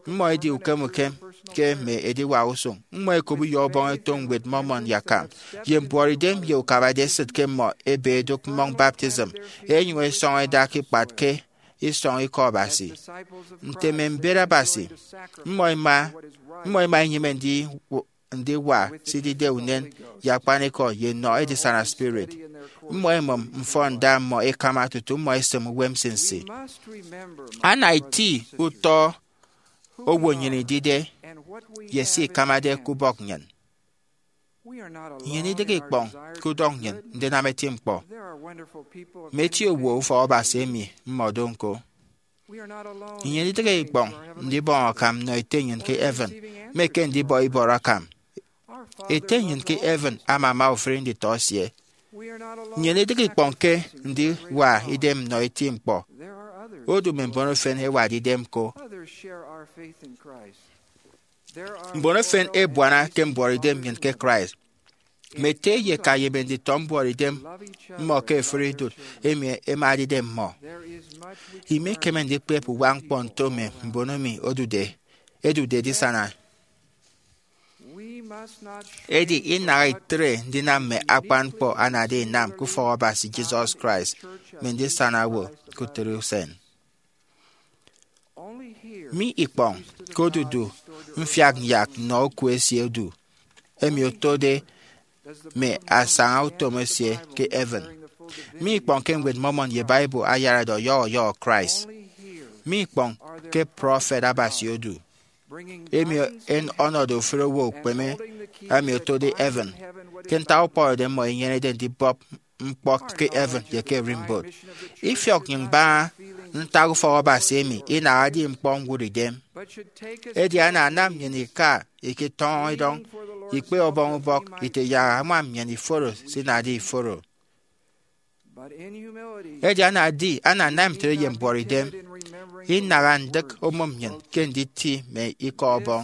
Mmọ edi ukem ukem ke mme ediwak usụñ. Mmọ ẹkop uyo Ọbọñ eto Ñwed Mormon ye akam, ye mbuọtidem ye ukabade esịt ke mmọ ebe ẹdụk mmọñ baptism, ẹnyụñ ẹsọñọ ẹda ke ikpat ke isọñ ikọ Abasi. Nte mme mbet Abasi, mmọ ima, mmọ ima inyịme ndi ndiwa se idide unen ye akpanikọ ye nnọ edisana spirit. Mmọ emụm mfọnda mmọ ikama tutu mmọ esịm uwem nsinsi. Ana iti utọ owo nnyịn idide ye se ikamade ke ubọk nnyịn. Nnyịn idịghe ikpọñ ke udọñ nnyịn ndinam eti ñkpọ mme eti owo ufọk Abasi emi mmọ do ñko. Nnyịn idịghe ikpọñ ndibọñ akam nnọ Ete nnyịn ke heaven, mme ke ndibọ ibọrọ akam. Ete nnyịn ke heaven amama ofụri nditọ esie. Nnyịn idịghe ikpọñ ke ndiwa idem nnọ eti ñkpọ. Odu mme mbon efen ẹwade idem ko. Mbon efen ẹbuana ke mbuọtidem nnyịn ke Christ. Mme ete ye eka ye mme nditọ mbuọtidem mmọ ke ofụri idụt emi ẹmade idem mmọ. Imekeme ndikpep uwak ñkpọ nto mme mbon emi odude, edude edisana. Edi inaha itre ndinam mme akpan ñkpọ anade inam ke ufọk Abasi Jesus Christ mme ndisana owo ke utịri usen. Mi ikpọñ ke odudu mfiak nyak nnọ oku esie odu, emi otode mme asaña utom esie ke heaven. Mi ikpọñ ke Ñwed Mormon ye Bible ayarade ọyọhọ ọyọhọ Christ. Mi ikpọñ ke prọfet Abasi odu, emi en- ọnọde ofụri owo ukpeme, emi otode heaven, ke ntak ukpọhọde mmọ inyenede ndibọp ñkpọ ke heaven ye ke ererimbot. Ifiọk nnyịn mbaña ntak ufọk Abasi emi inahade ñkpọ ñwụt idem. Edi ana anam nnyịn ika iketọñọ idọñ, ikpe Ọbọñ ubọk ite yak añwam nnyịn iforo se inade iforo. Edi ana edi ana anam ntre ye mbuọtidem, inaha ndịk omụm nnyịn ke nditi mme ikọ Ọbọñ.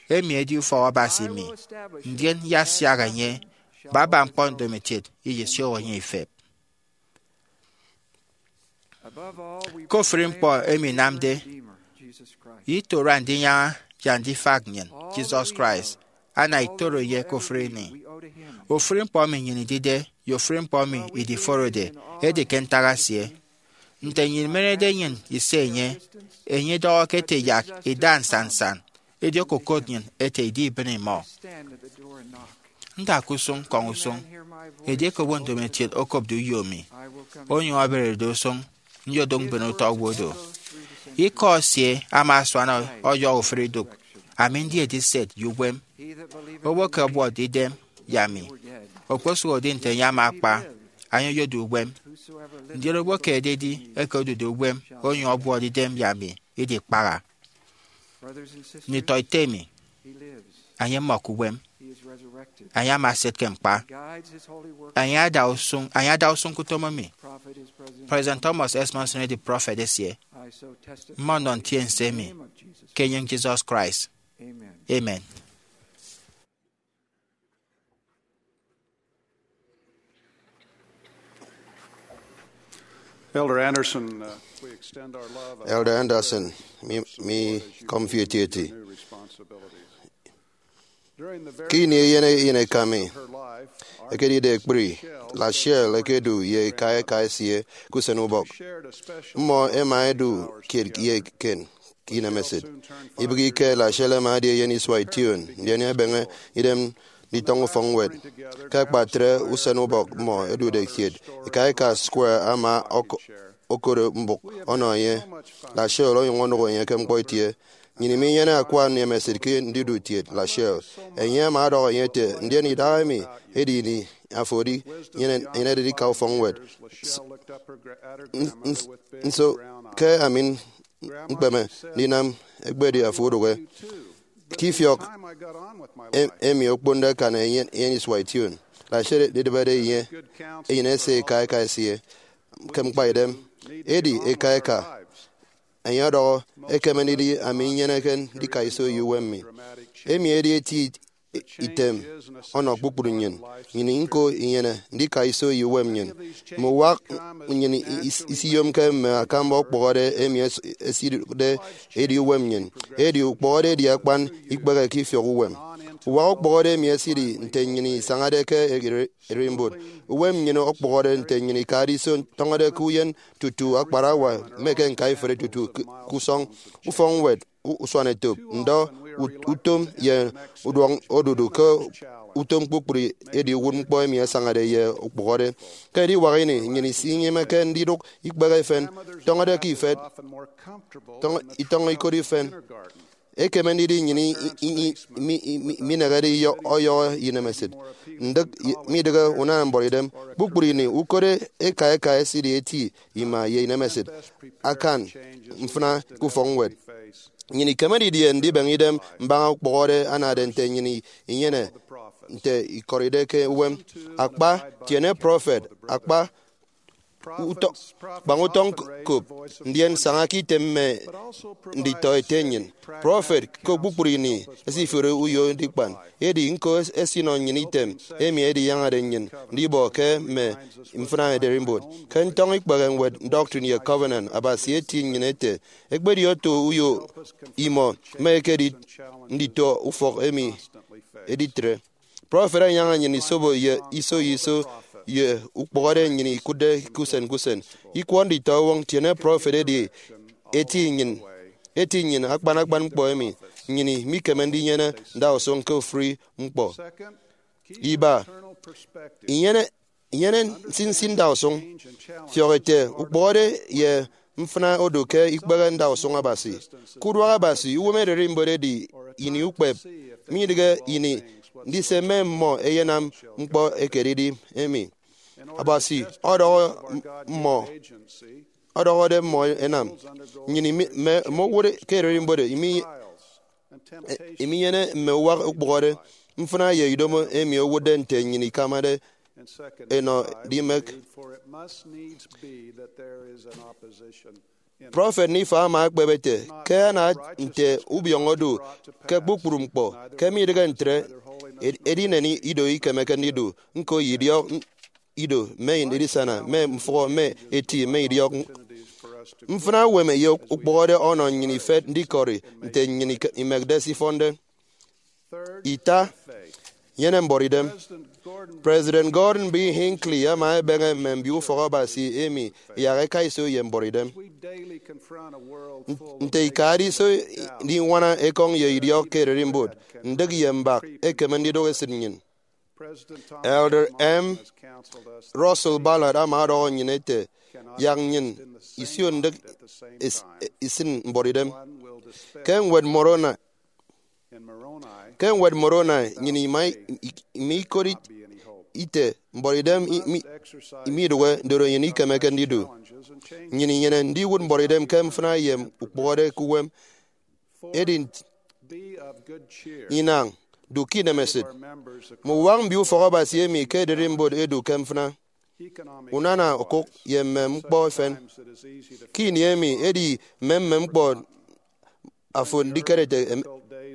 Emi edi ufọk Abasi mi, ndien iyasiak enye, baba ñkpọ ndomokiet iyesioho enye ifep. Ke ofụri ñkpọ emi inamde, itoro andinyaña ye andifak nnyịn, Jesus Christ, ana itoro ye ke ofụri ini. Ofụri ñkpọ emi nnyịn idide ye ofụri ñkpọ emi idiforode edi ke ntak esie. Nte nnyịn imenerede nnyịn ise enye, enye idọhọ ke ete yak ida nsannsan, Edi okokot nnyịn ete idi ibịne imọ. Nda ke usụñ, kọñ usụñ. Edieke owo ndomokiet okopde uyo mi, onyụñ ọberede usụñ, nyodụk mben utọ owo do. Ikọ esie ama asuan ọyọhọ uforo idụk, ami ndi ediset ye uwem. Owo ke ọbuọtde idem ye ami, okposụhode nte enye ama akpa, enye oyodu uwem. Ndien owo ke ededi eke odude uwem onyụñ ọbuọtde idem ye ami, idikpaha. Nditọ ite mi, enye mmọ ke uwem. Enye ama eset ke ñkpa. Enye ada usụñ, enye ada usụñ ke utom emi. President Thomas S. Monson edi prọfet esie. Mmọnọ ntiense emi ke enyịñ Jesus Christ. Amen. Elder Anderson, uh, we extend our love and Elder Anderson, mi, mi kọm fi etieti. New responsibilities. During the very Ke ini eyen eyen eka mi her life, our ekedide ekpri, Lachelle ekedu ye eka eka esie ke usen ubọk. Shared a special Mmọ ẹma ẹdu kiet ye eken ke inemesịt. Ibịghike, Lachelle ẹma ẹdi eyen isua ition, ndien ẹbeñe idem nditọñọ ufọkñwed. Ke akpatre usen ubọk mmọ ẹdude kiet, eka eka Square ama ọk-, okoro mbụk ọnọ enye. Lachelle onyụñ onụk enye ke ñkpọ itie. Nnyịn minyene akwa inemesịt ke ndidu kiet Lachelle. Enye ama ọdọhọ enye ete, ndien idahaemi edi ini afo edi nyenede ndika ufọkñwed. S-, n-, n-, nso ke ami ñkpeme ndinam ekpedi afo udụhe? Ke ifiọk em-, emi okponde akan eyen, eyen isua ition, Lachelle edịbede enye, eyen ese eka eka esie ke ñkpaidem. Edi eka eka, enye ọdọhọ, ekeme ndidi ami nyeneke ndika iso ye uwem mi. Emi edi eti item ọnọ kpukpru nnyịn. Nnyịn ñko inyene ndika iso ye uwem nnyịn. Mme uwak nnyịn is-, isiyomke mme akamba ukpụhọde emi es-, eside edi uwem nnyịn. Edi ukpụhọde edi akpan ikpehe ke ifiọk uwem. Uwak ukpụhọde emi esidi nte nnyịn isañade ke ere-, ererimbot. Uwem nnyịn okpụhọde nte nnyịn ikade iso tọñọde ke uyen tutu akparawa mme ke ñkaiferi tutu ke, ke usọñ ufọkñwed u-, usuanetop, ndọ, ut-, utom, ye uduak odudu ke utom kpukpru edi uwụtñkpọ emi asañade ye ukpụhọde. Ke ediwak ini, nnyịn isinyịmeke ndidụk ikpehe efen, tọñọde ke ifet, tọñ-, itọñọ ikot ifen. Ekeme ndidi nnyịn i-, i-, i-, mi-, i-, mi-, minehede iyọ-, ọyọhọ inemesịt. Ndịk i-, midịghe unana mbọrọidem. Kpukpru ini, ukot eka eka esidi eti ima ye inemesịt akan mfịna ke ufọkñwed. Nnyịn ikeme didie ndibeñe idem mbaña ukpụhọde anade nte nnyịn i-, inyene nte ikọride ke uwem? Akpa, tiene prọfet, akpa, utọ-, kpañ utọñ kop, ndien saña ke item mme nditọ ete nnyịn. Prọfet ke kpukpru ini esifori uyo ndikpan, edi ñko es-, esinọ nnyịn item emi ediyañade nnyịn ndibọ ke mme mfịna ererimbot. Ke ntọñọ ikpehe ñwed Doctrine and Covenants, Abasi eti nnyịn ete, ekpedi oto uyo imọ mme ekedit nditọ ufọk emi editre. Prọfet anyaña nnyịn isobo ye iso ye iso ye ukpụhọde nnyịn ikụtde ke usen ke usen. Ikwọ nditọwọñ tiene prọfet edi eti nnyịn, eti nnyịn akpan akpan ñkpọ emi nnyịn mikeme ndinyene ndausụñ ke ofụri ñkpọ. Iba, inyene, inyene nsinsi ndausụñ. Fiọk ete, ukpụhọde ye mfịna odu ke ikpehe ndausụñ Abasi. Ke uduak Abasi, uwem ererimbot edi ini ukpep, midịghe ini ndise mme mmọ ẹyenam ñkpọ ekededi emi. Abasi ọdọhọ mmọ, ọdọhọde mmọ ẹnam. Nnyịn imi-, mme, mme owụt ke ererimbot imi-, e-, iminyene mme uwak ukpụhọde, mfịna ye idomo emi owụtde nte nnyịn ikamade enọ dimek. Prọfet Nephi ama ekpep ete, ke ana nte ubiọñọ odu ke kpukpru ñkpọ, ke midịghe ntre, ed-, edinen ido ikemeke ndidu, ñko ye idiọk ido, mme edisana, mme mfụhọ, mme eti, mme idiọk. Mfịna uwem ye ukpụhọde ọnọ nnyịn ifet ndikọri nte nnyịn ike-, imekde se ifọnde. Ita, nyene mbọrọidem. President Gordon B. Hinckley ama ebeñe mme mbio ufọk Abasi emi yak eka iso ye mbọrọidem. Nte ikade iso ndiñwana ekọñ ye idiọk ke ererimbot, ndịk ye mbak ekeme ndidụk esịt nnyịn. Elder M. Russell Ballard ama ọdọhọ nnyịn ete, yak nnyịn isio ndịk is- isịn mbọrọidem. Ke ñwed Moroni, ke ñwed Moroni, nnyịn ima, ima ikot ite mbọrọidem mi- midụhe, ndoro nnyịn ikemeke ndidu. Nnyịn inyene ndiwụt mbọrọidem ke mfịna ye ukpụhọde ke uwem. Edi inañ, du ke inemesịt. Mme uwak mbio ufọk Abasi emi ke ererimbot edu ke mfịna, unana okụk, ye mme ñkpọ efen. Ke ini emi, edi mme mme ñkpọ afo ndikere ete em-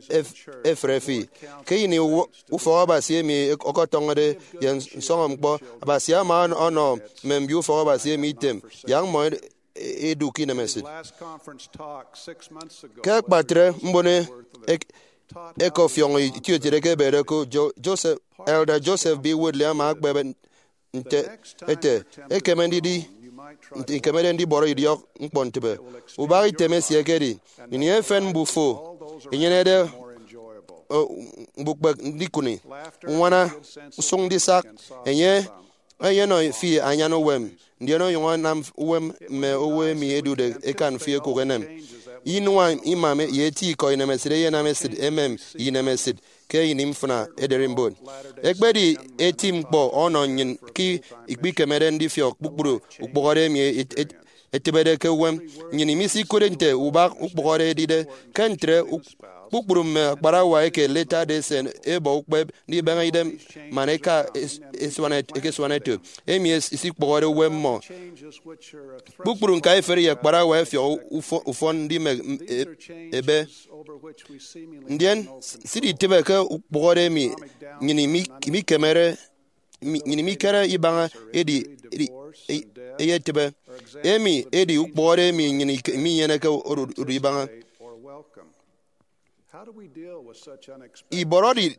ef- efre fi. Ke ini u- ufọk Abasi emi ọkọtọñọde ye nsọñọ ñkpọ, Abasi ama ọnọ mme mbio ufọk Abasi emi item, yak mmọ ed- edu ke inemesịt. Ke akpatre mbono ek- ẹkọfiọñọ itieutiet eke ebede ko, Jo- Joseph, Elder Joseph B. Woodley ama ekpep nte ete, ekeme ndidi nte ikemede ndibọrọ idiọk ñkpọ ntịbe. Ubak item esie ekedi ini efen mbufo enyenede o, mbukpek ndikụni, uñwana, usụñ ndisak. Enye eyenọ fi anyan uwem, ndien onyụñ anam uwem mme owo emi ẹdude ẹkan fi ẹkụk ẹnem. Inua ima ye eti ikọ inemesịt eyenam esịt emem ye inemesịt ke ini mfịna ederimbot. Ekpedi eti ñkpọ ọnọ nnyịn ke ikpikemede ndifiọk kpukpru ukpụhọde emi et- et- etịbede ke uwem. Nnyịn imisikụtde nte ubak ukpụhọde edide. Ke ntre, uk- kpukpru mme akparawa eke Latter-day Saint ẹbọ ukpep ndibeñe idem man eka es- esuan et- eke esuan eto, emi es- isikpụhọde uwem mmọ. Kpukpru ñkaiferi ye akparawa ẹfiọk ufọ- ufọn ndimek m- e- ebe. Ndien s- siditịbe ke ukpụhọde emi nnyịn imi- imikemere, mi- nnyịn imikere ibaña edi, edi e- eyetịbe. Emi edi ukpụhọde emi nnyịn ike- iminyeneke odu odu ibaña. Ibọrọde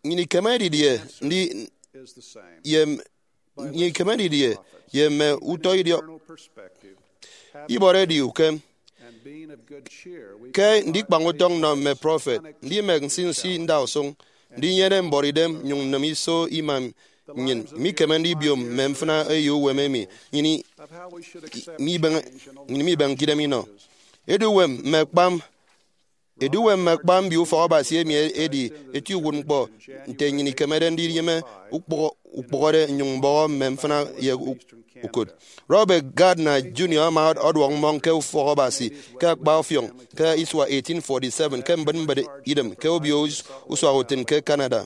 nnyịn ikeme didie ndi ye m- nnyịn ikeme didie ye mme utọ idiọk? Ibọrọ edi ukem. Ke ndikpañ utọñ nnọ mme prọfet, ndimek nsinsi ndausụñ, ndinyene mbọrọidem, nyụñ nnịm iso ima nnyịn, mikeme ndibiom mme mfịna eyo uwem emi nnyịn i- mibeñe- nnyịn mibeñke idem inọ. Eduuwem mme akpam Eduuwem mme akpam mbio ufọk Abasi emi edi eti uwụtñkpọ nte nnyịn ikemede ndiyịme ukpụhọ- ukpụhọde nnyụñ mbọhọ mme mfịna ye u- ukụt. Robert Gardner Junior ama ọduọk mmọñ ke ufọk Abasi ke akpa ọfiọñ ke isua eighteen forty-seven ke mbịtmbịt idem ke obio us- usua utịn ke Canada.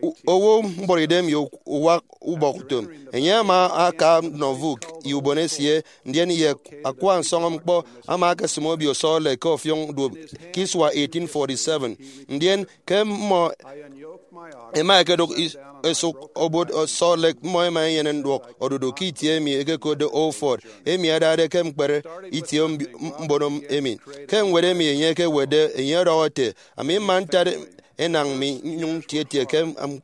U- owo mbọrọidem ye uwak ubọk utom. Enye ama aka Nauvoo ye ubon esie, ndien ye akwa nsọñọ ñkpọ ama akesịm obio Salt Lake ke ọfiọñ duop ke isua eighteen forty-seven. Ndien ke mmọ ẹma ẹkedụk is- esụk obot Salt Lake, mmọ ẹma ẹnyene nduọk odudu ke itie emi ẹkekotde Old Fort, emi adade ke ñkpere itie mbi- m- mbono emi. Ke ñwed emi enye ekewetde, enye ọdọhọ ete, ami mma ntat enañ mi nnyụñ ntietie ke am-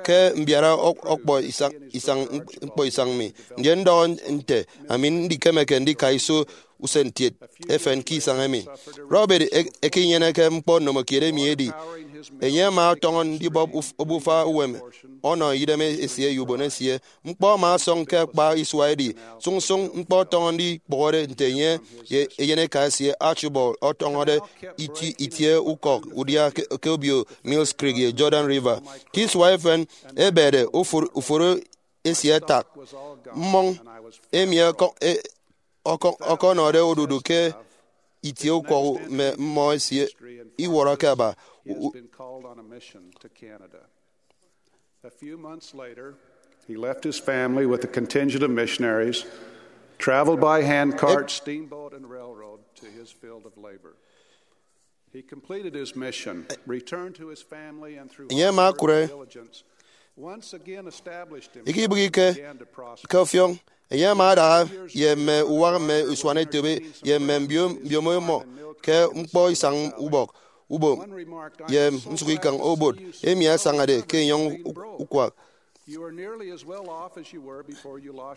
ke mbiara ọk- ọkpọ isañ, isañ, ñkpọ isañ mi, ndien ndọhọ nte ami ndikemeke ndika iso usen ntiet efen ke isañ emi. Robert e- ekenyeneke ñkpọ nnomokiet emi edi, enye ama ọtọñọ ndibọp uf- obufa uwem ọnọ idem esie ye ubon esie. Ñkpọ ama ọsọñ ke akpa isua edi sụñsụñ ñkpọ ọtọñọ ndikpụhọde nte enye ye eyeneka esie Archibald ọtọñọde iti- itie ukọk udia ke, ke obio Mills Creek ye Jordan River. Ke isua efen, ebede uforo, uforo esie ẹtak. Mmọñ emi ọkọ- e- ọkọ- ọkọnọde odudu ke itie ukọk mme mmọ esie iwọrọke aba. U- A few months later, he left his family with a contingent of missionaries, traveled by handcart, steamboat, and railroad to his field of labor. He completed his mission, returned to his family, and through Enye ama akụre diligence, once again established ike ibịghike began to prosper. Ke ọfiọñ, enye ama adaha ye mme uwak mme usuanetop ye mme mbio- mbiomo mmọ ke ñkpọ isañ ubọk. ubom ye nsụk ikañ obot emi asañade ke enyọñ ukwak.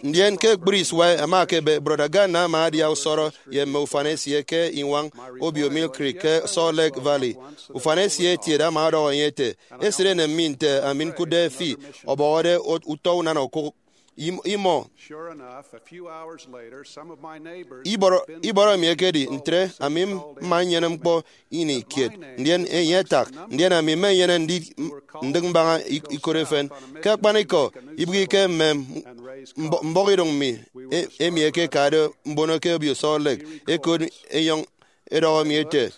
Ndien ke ekpri isua ẹma ẹkebe, Brọda Gardner ama adia usọrọ ye mme ufan esie ke Iñwañ Obio Mill Creek ke Salt Lake Valley. Ufan esie etiede ama ọdọhọ enye ete, esịt enem mi nte ami ñkụtde fi ọbọhọde utọ unana okụk. Im- imọ ibọrọ, ibọrọ mi ekedi ntre, ami mma nnyene ñkpọ ini kiet, ndien enye atak, ndien ami mmenyene ndi- ndịk mbaña ikot efen. Ke akpanikọ, ibịghike mme mbọhọidụñ mi emi ẹkekade mbono ke Obio Salt Lake, ẹkot enyọñ ẹdọhọ mi ete,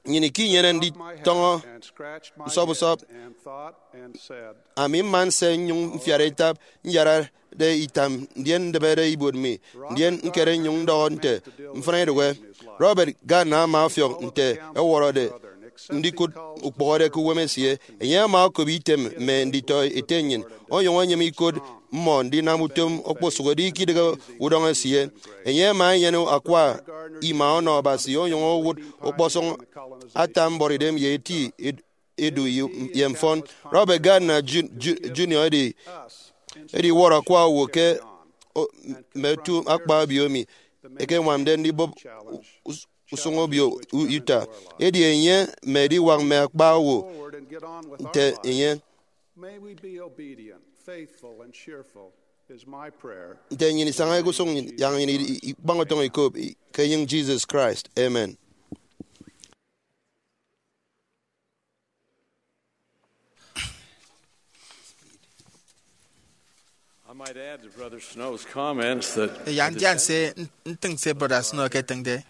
nnyịn ikinyene nditọñọ usọp usọp. Ami mma nse nnyụñ mfiara itap, nyarade itam, ndien ndịbede ibuot mi, ndien ñkere nnyụñ ndọhọ nte, mfịna idụhe. Robert Gardner ama ọfiọk nte ẹwọrọde ndikụt ukpọhọde ke uwem esie. Enye ama okop item mme nditọ ete nnyịn onyụñ enyịme ikot mmọ ndinam utom okposụkedi ikidịghe udọñ esie. Enye ama enyene akwa ima ọnọ Abasi onyụñ owụt ọkpọsọñ ata mbọrọidem ye eti edu ye mfọn. Robert Gardner Junior edi ediwọrọ akwa owo ke mme otu akpa obio emi ẹkeñwamde ndibụp usụñ obio Utah. Edi enye mme ediwak mme akpa owo nte enye. Nte nnyịn isaña ke usụñ nnyịn, yak nnyịn ikpañ utọñ ikop ke enyịñ Jesus Christ. Amen. I might add to Brother Snow's comments that Eya ndian se ntịñ se Brọda Snow eketịñde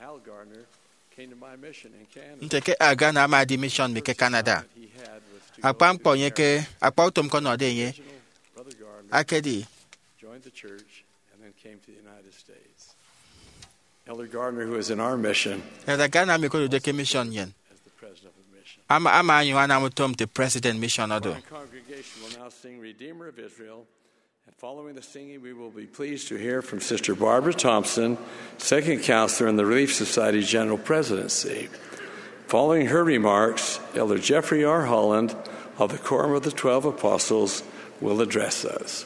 nte ke Al Gardner ama edi mission mi ke Canada. Akpa ñkpọ enye ke akpa utom ke ọnọde enye akedi Elder Gardner, who is in our mission, Elder Gardner, ami okodude ke mission nnyịn, ama ama onyụñ anam utom nte president mission odu. Our congregation will now sing Redeemer of Israel, and following the singing, we will be pleased to hear from Sister Barbara Thompson, Second Counselor in the Relief Society General Presidency. Following her remarks, Elder Jeffrey R. Holland of the Quorum of the Twelve Apostles will address us.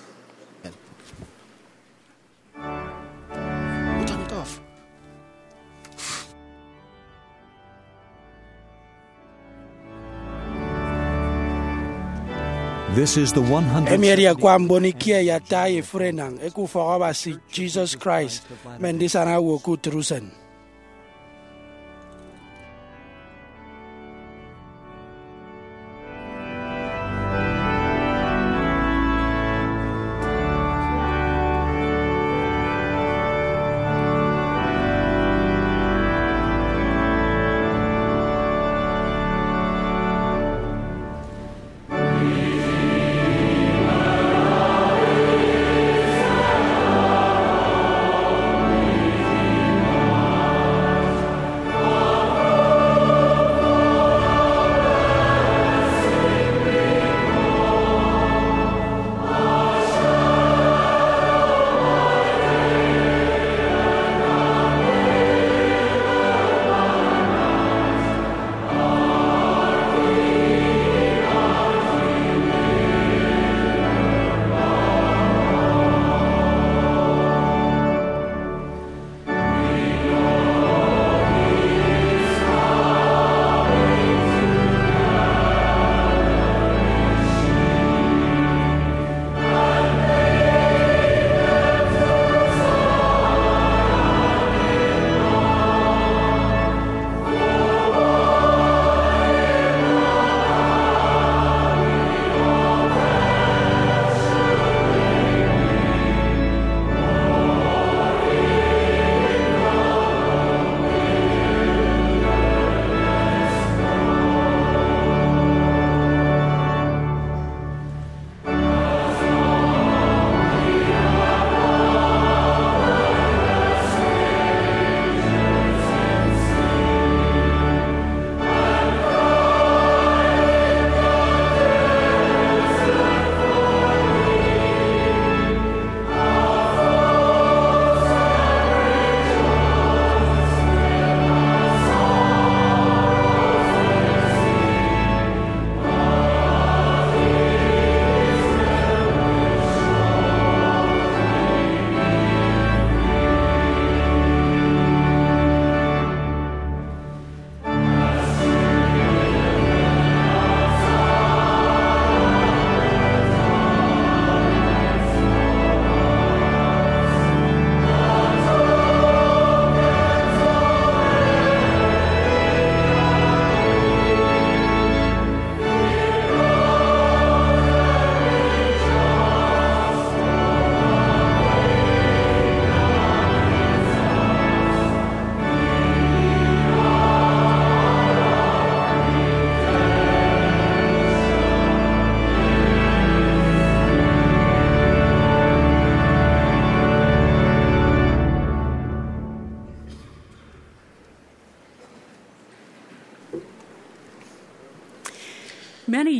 This is the one hundred. Emi edi akwa mbon ikie ye ata ye efurenañ eke ufọk Abasi Jesus Christ, mme ndisana owo ke utịt usen.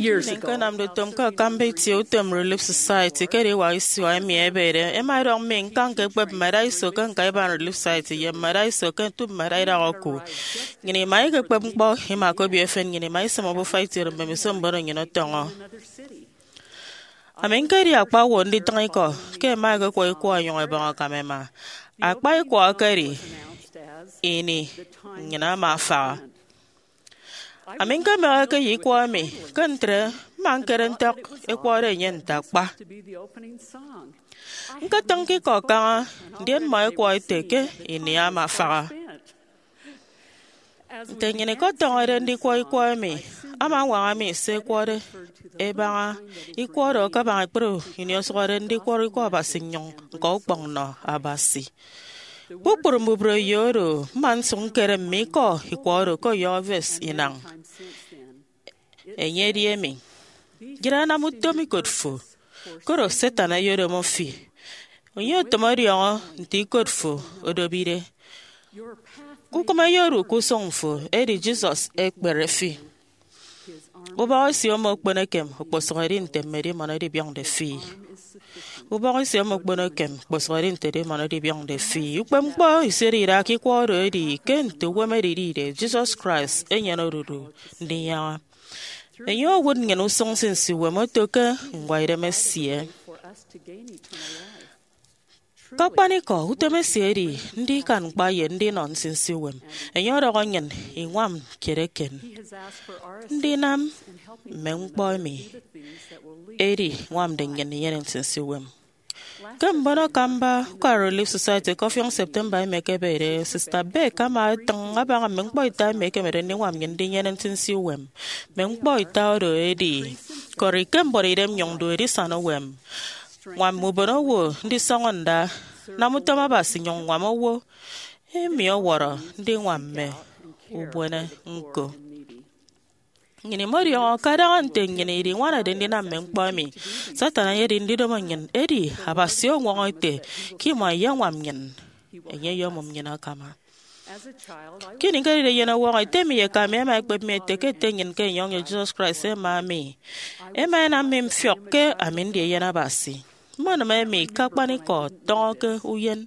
Years ago, ñkenamde utom ke akamba itie utom Relief Society ke ediwak isua emi ebede, ema edọñ mi ñkañ ke ekpep mmada iso ke ñkaiban Relief Society ye mmada iso ke ntu mmada idak oku. Nnyịn ima ikekpep ñkpọ, ima ke obio efen, nnyịn ima isịm obufa itiene mbemiso mbono nnyịn ọtọñọ. Ami ñkedi akpa owo nditịñ ikọ ke ẹma ẹkekwọ ikwọ ẹnyụñ ẹbọñ akam ẹma. Akpa ikwọ ekedi ini nnyịn ama afaha. Ami ñkemeheke ye ikwọ emi, ke ntre mma ñkere ntak ẹkwọde enye nte akpa. Ñketịñ ke ikọ kaña, ndien mmọ ẹkwọ ẹte ke ini ama afaha. Nte nnyịn ikọtọñọde ndikwọ ikwọ emi, ama añwaña mi se ẹkwọde ẹbaña ikwọ oro kabaña ekpri ini osụhọde ndikwọrọ Ikọ Abasi nnyụñ ñkọ ukpọñ nnọ Abasi. Kpukpru mbubreyo oro, mma nsụk ñkere mme ikọ ikwọ oro ke ọyọhọ verse inañ. Enye edi emi, Yịre anam utom ikot fo, koro Satan eyedomo fi. Enye otom ọdiọñọ nte ikot fo odobide. Kukụm eyedu ke usụñ fo, edi Jesus ekpere fi. Ubọk esie omo okpono ekem okposụk edi nte mme edimọn ẹdibiọñde fi. Ubọk esie omo okpono ekem okposụk edi nte edimọn ẹdibiọñde fi. Ukpepñkpọ isiode idaha ke ikwọ oro edi ke nte uwem edidide, Jesus Christ enyene odudu ndinyaña. Enye owụt nnyịn usụñ nsinsi uwem oto ke ñkwaidem esie. Ke akpanikọ, utom esie edi ndikan ñkpa ye ndinọ nsinsi uwem. Enye ọdọhọ nnyịn iñwam kiet eken ndinam mme ñkpọ emi edi ñwamde nnyịn inyene nsinsi uwem. Ke mbono akamba ukara Relief Society ke ọfiọñ September emi ekebede, Sista Beck ama etịñ abaña mme ñkpọ ita emi ekemede ndiñwam nnyịn ndinyene nsinsi uwem. Mme ñkpọ ita oro edi, kọri ke mbuọtidem nyụñ du edisana uwem, ñwam mme ubonowo ndisọñọ nda, nam utom Abasi nyụñ ñwam owo emi ọwọrọ ndiñwam mme ubuene ñko. Nnyịn imọdiọñọ ke adaña nte nnyịn idiñwanade ndinam mme ñkpọ emi, Satan eyedi ndidomo nnyịn, edi Abasi ọñwọñọ ete ke imọ iyeñwam nnyịn, enye eyomụm nnyịn akama. Ke ini ñkedide eyen ọwọñọ, ete mi ye eka mi ẹma ẹkpep mi ẹte ke Ete nnyịn ke enyọñ ye Jesus Christ ẹma mi. Ẹma ẹnam mi mfiọk ke ami ndi Eyen Abasi. Mmọnịm emi ke akpanikọ tọñọ ke uyen.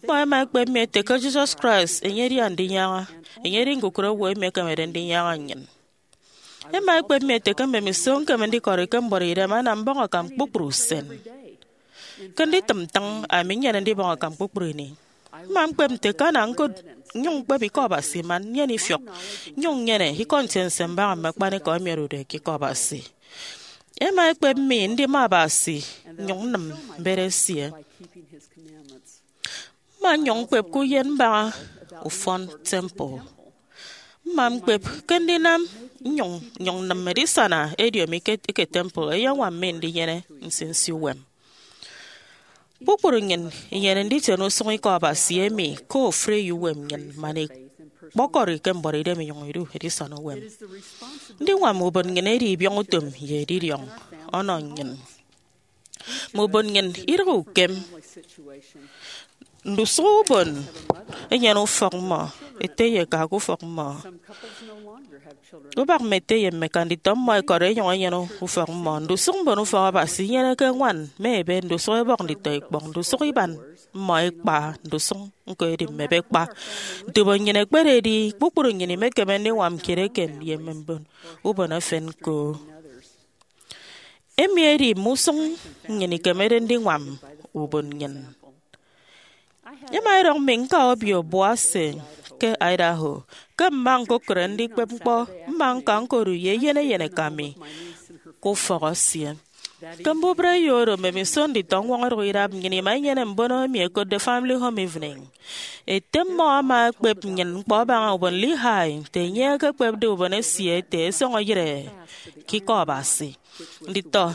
Mmọ ẹma ẹkpep mi ẹte ke Jesus Christ, enye edi Andinyaña, enye edi ñkukụre owo emi ekemede ndinyaña nnyịn. Ẹma ẹkpep mi ẹte ke mbemiso ñkeme ndikọri ke mbuọtidem anam mbọñ akam kpukpru usen. Ke nditịm ntịñ, ami nnyene ndibọñ akam kpukpru ini. Mma ñkpep nte ke ana ñkụt nnyụñ ñkpep Ikọ Abasi man nnyene ifiọk, nnyụñ nnyene Ikọ Ntiense mbaña mme akpanikọ emi odude ke Ikọ Abasi. Ẹma ẹkpep mi ndima Abasi nnyụñ nnịm mbet esie. Mma nnyụñ ñkpep ke uyen mbaña ufọn temple. Mma ñkpep ke ndinam nnyụñ nnyụñ nnịm edisana ediomi ke eke temple eyeñwam mi ndinyene nsinsi uwem. Kpukpru nnyịn inyene nditiene usụñ Ikọ Abasi emi ke ofụri eyouwem nnyịn man ikpọkọri ke mbuọtidem inyụñ idu edisana uwem. Ndiñwam ubon nnyịn edi ibiọñ utom ye edidiọñ ọnọ nnyịn. Mme ubon nnyịn idịghe ukem. Ndusụk ubon enyene ufọk mmọ, ete ye eka ke ufọk mmọ. Ubak mme ete ye mme eka nditọ mmọ ẹkọri ẹnyụñ ẹnyene ufọk mmọ. Ndusụk mbon ufọk Abasi inyeneke ñwan mme ebe, ndusụk ẹbọk nditọ ikpọñ, ndusụk iban mmọ ikpa, ndusụk ñko edi mme ebe kpa. Nte ubon nnyịn ekpededi, kpukpru nnyịn imekeme ndiñwam kiet eken ye mme mbon ubon efen ñko. Emi edi mme usụñ nnyịn ikemede ndiñwam ubon nnyịn. Ema edọñ mi ñka obio buase ke Idaho. Ke mma ñkokụre ndikpep ñkpọ, mma ñka ñkodu ye eyen eyen eka mi ke ufọk esie. Ke mbubreyo oro, mbemiso nditọ ñwọñọ idụk idap, nnyịn ima inyene mbono emi ẹkotde Family Home Evening. Ete mmọ ama ekpep nnyịn ñkpọ abaña ubon Lehi nte enye ekekpepde ubon esie ete ẹsọñọ iyịre ke Ikọ Abasi. Nditọ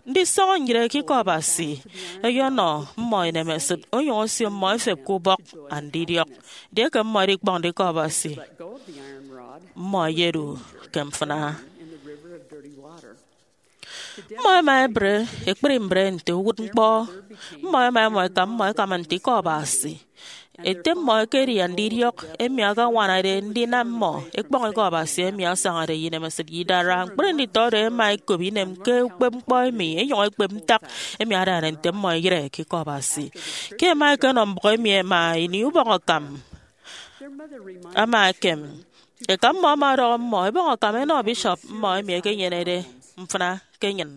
ndisọñọ nyịre ke Ikọ Abasi ẹyọnọ mmọ inemesịt onyụñ osio mmọ ẹfep ke ubọk andidiọk. Edieke mmọ ẹdikpọñde Ikọ Abasi, mmọ ẹyedu ke mfịna. Mmọ ẹma ẹbre ekpri mbre nte uwụtñkpọ. Mmọ ẹma ẹmọ eka mmọ ẹkama nte Ikọ Abasi. Ete mmọ ekedi andidiọk emi akañwanade ndinam mmọ ekpọñ Ikọ Abasi emi asañade ye inemesịt ye idara. Ñkpri nditọ oro ẹma ẹkop inem ke ukpepñkpọ emi, ẹnyụñ ẹkpep ntak emi adade nte mmọ ẹyịre ke Ikọ Abasi. Ke ẹma ẹkenọ mbụk emi ẹma ini ubọñ akam ama ekem, eka mmọ ama ọdọhọ mmọ ẹbọñ akam ẹnọ bishop mmọ emi ekenyenede mfịna ke enyịn.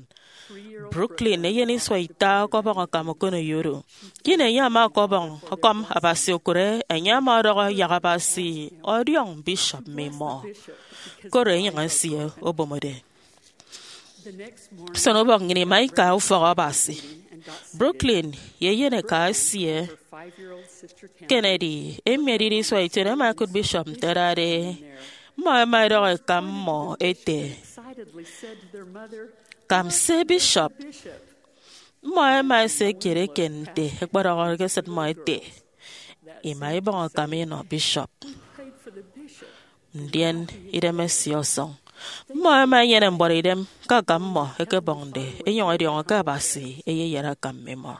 Brooklyn eyen isua ita ọkọbọñ akam okoneyo oro. Ke ini enye ama ọkọbọñ ọkọm Abasi okụre, enye ama ọdọhọ yak Abasi ọdiọñ bishop mmimọ, koro enyịñ esie obomode. Usenubọk nnyịn ima ika ufọk Abasi. Brooklyn ye eyeneka esie Kennedy, emi edide isua ition, ẹma ẹkụt bishop nte ẹdade. Mmọ ẹma ẹdọhọ eka mmọ ẹte, "Kamse, bishop." Mmọ ẹma ẹse kiet eken nte ẹkpedọhọde ke esịt mmọ ẹte, "Ima ibọñ akam inọ bishop." Ndien idem esie ọsọñ. Mmọ ẹma ẹnyene mbuọtidem ke akam mmọ ẹkebọñde, ẹnyụñ ẹdiọñọ ke Abasi eyeyat akam mmimọ.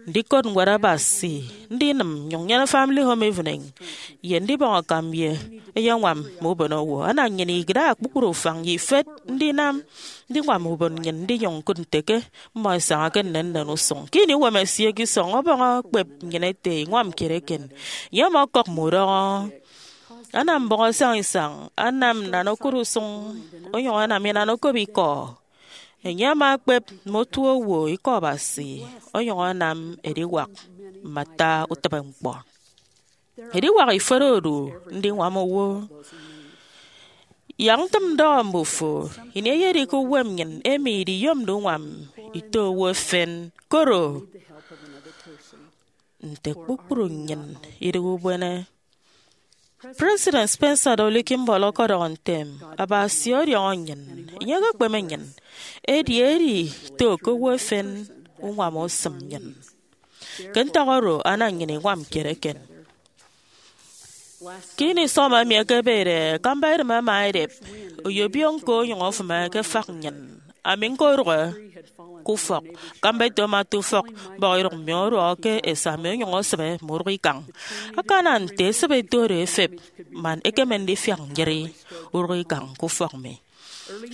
Ndikot Ñwed Abasi, ndinịm nnyụñ nnyene Family Home Evening, ye ndibọñ akam ye eyeñwam mme ubonowo ana nnyịn idaha kpukpru ufañ ye ifet ndinam ndiñwam ubon nnyịn ndinyụñ ñkụt nte ke mmọ ẹsaña ke nnennen usụñ. Ke ini uwem esie ke isọñ ọbọñ ekpep nnyịn ete iñwam kiet eken, enye ama ọkọk mme udọñọ, anam mbọñ asañisañ, anam nnan okụt usụñ, onyụñ anam inan okop ikọ. Enye ama ekpep mme otuowo Ikọ Abasi, onyụñ anam ediwak mme ata utịbeñkpọ. Ediwak ifet odu ndiñwam owo. Yak ntịm ndọhọ mbufo, ini eyedi ke uwem nnyịn emi idiyomde uñwam ito owo efen, koro nte kpukpru nnyịn idịghe ubuene. President Spencer W. Kimball ọkọdọhọ ntem, "Abasi ọdiọñọ nnyịn, enye ekekpeme nnyịn, edi edi ito ke owo efen uñwam osịm nnyịn." Ke ntak oro, ana nnyịn iñwam kiet eken. Ke ini summer emi ekebede, akamba edịm ama edep, oyobiọñ ñko onyụñ ofịme ke efak nnyịn. Ami ñkodụhe ke ufọk. Akamba eto ama ata ufọk mbọhọidụñ mi ọduọhọ ke esa mi onyụñ osịbe mme urụk ikañ. Akana nte esịbe eto oro efep, man ekeme ndifiak nyịri urụk ikañ ke ufọk mi.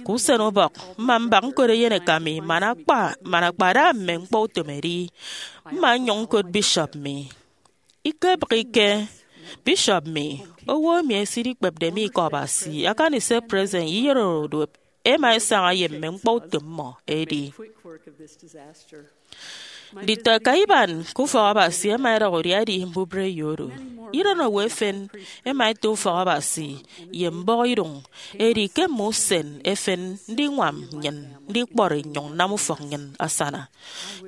Ke usen ubọk, mma mbak ñkot eyeneka mi man akpa, man akpada mme ñkpọutom edi. Mma nnyụñ ñkot bishop mi. Ikebịghike, bishop mi, owo emi esidikpepde mi Ikọ Abasi, akani se president ye iyenoro duop ẹma ẹsaña ye mme ñkpọutom mmọ edi. Nditọ ẹka iban ke ufọk Abasi ẹma ẹdọhọ udia edi mbubreyo oro. Iren owo efen ẹma ẹto ufọk Abasi ye mbọhọidụñ, edi ke mme usen efen ndiñwam nnyịn ndikpọri nnyụñ nnam ufọk nnyịn asana.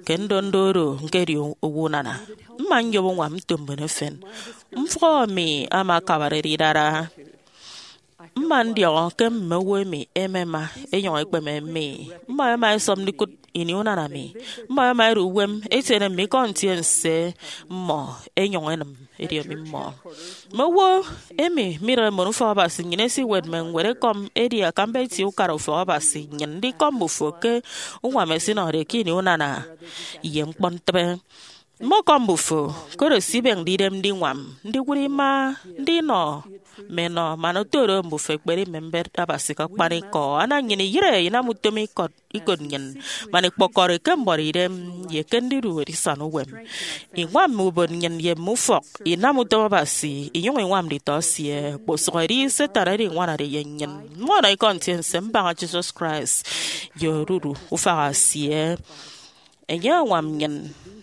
Ke ndondo oro ñkedi owo unana, mma nyop uñwam nto mbon efen. Mfụhọ mi ama akabarede idara. Mma ndiọñọ ke mme owo emi ẹmema ẹnyụñ ẹkpeme mi. Mmọ ẹma ẹsọp ndikụt ini unana mi. Mmọ ẹma ẹdu uwem ẹtiene mme ikọ ntiense mmọ ẹnyụñ ẹnịm ediomi mmọ. Mme owo emi midịghe mbon ufọk Abasi nnyịn ẹsiwet mme ñwed ekọm, edi akamba itie ukara ufọk Abasi nnyịn ndikọm mbufo ke uñwam ẹsinọde ke ini unana ye ñkpọntịbe. Mmọkọm mbufo, koro se ibịñde idem ndiñwam, ndiwụt ima, ndinọ mme enọ, man oto do mbufo ẹkpedi mme mbet Abasi ke akpanikọ. Ana nnyịn iyịre inam utom ikọt, ikot nnyịn, man ikpọkọri ke mbuọtidem ye ke ndidu edisana uwem. Iñwam mme ubon nnyịn ye mme ufọk, inam utom Abasi, inyụñ iñwam nditọ esie. Kposụk edi Satan oro iñwanade ye nnyịn. Mmọnọ ikọ ntiense mbaña Jesus Christ ye odudu ufak esie. Enye añwam nnyịn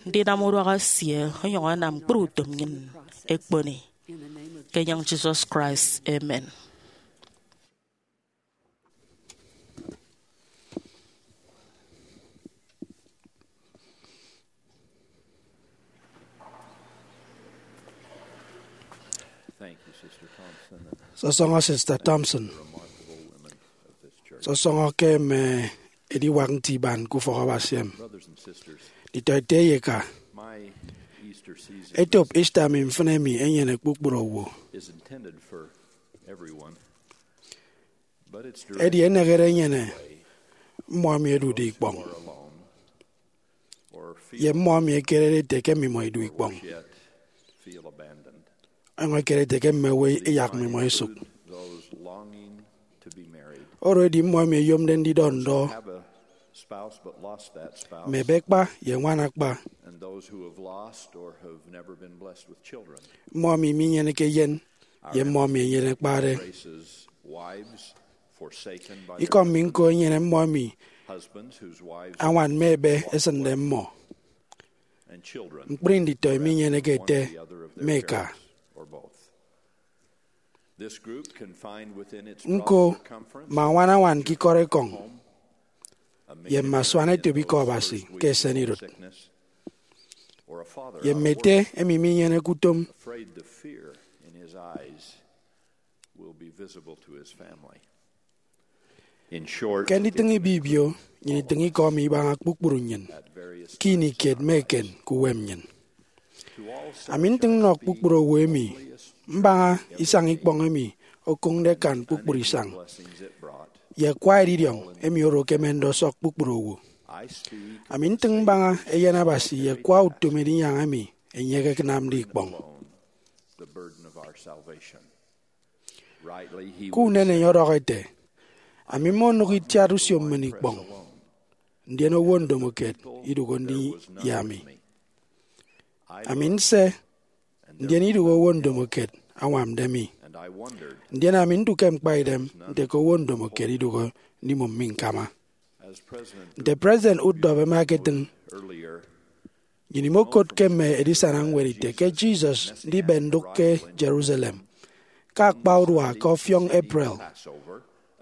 ndinam uduak esie onyụñ anam ñkpri utom nnyịn ẹkponi. Ke enyịñ Jesus Christ, amen. Sọsọñọ Sister Thompson. Sọsọñọ ke mme ediwak nti iban ke ufọk Abasi emi. Nditọ ete ye eka, etop Easter mi mfịn emi enyene kpukpru owo. Edi enehede enyene mmọ emi ẹdude ikpọñ, ye mmọ emi ẹkerede ete ke mmimọ idu ikpọñ. Ọnyọñ ekerede ke mme owo iyak mmimọ isụk. Oro edi mmọ emi ẹyomde ndidọ ndọ. Mme ebe kpa ye ñwan akpa. Mmọ emi minyeneke eyen ye mmọ emi eyen ekpade. Ikọ mi ñko enyene mmọ emi añwan mme ebe esịnde mmọ. Ñkpri nditọ emi inyeneke ete mme eka. Ñko mme añwan añwan ke ikọt ekọñ ye mme asuanetop Ikọ Abasi ke esenidụt, ye mme ete emi minyeneke utom. Ke nditịñ ibibio, nnyịn itịñ ikọ mi ibaña kpukpru nnyịn ke ini kiet mme eken ke uwem nnyịn. Ami ntịñ nnọ kpukpru owo emi mbaña isañ ikpọñ emi okụñde akan kpukpru isañ, ye akwa edidiọñ emi oro ekemende ọsọk kpukpru owo. Ami ntịñ mbaña Eyen Abasi ye akwa utom edinyaña emi enye ekenamde ikpọñ. Ke unen enye ọdọhọ ete, ami mmonụk itiat usio mmen ikpọñ, ndien owo ndomokiet idụhe ndi ye ami. Ami nse, ndien idụhe owo ndomokiet añwamde mi. Ndien ami ndu ke ñkpaidem nte ke owo ndomokiet idụhe ndimụm mi ñkama. Nte President Uchtdorf ama eketịñ, nnyịn imokot ke mme edisana ñwed ite ke Jesus ndibe ndụk ke Jerusalem ke akpa urua ke ọfiọñ April,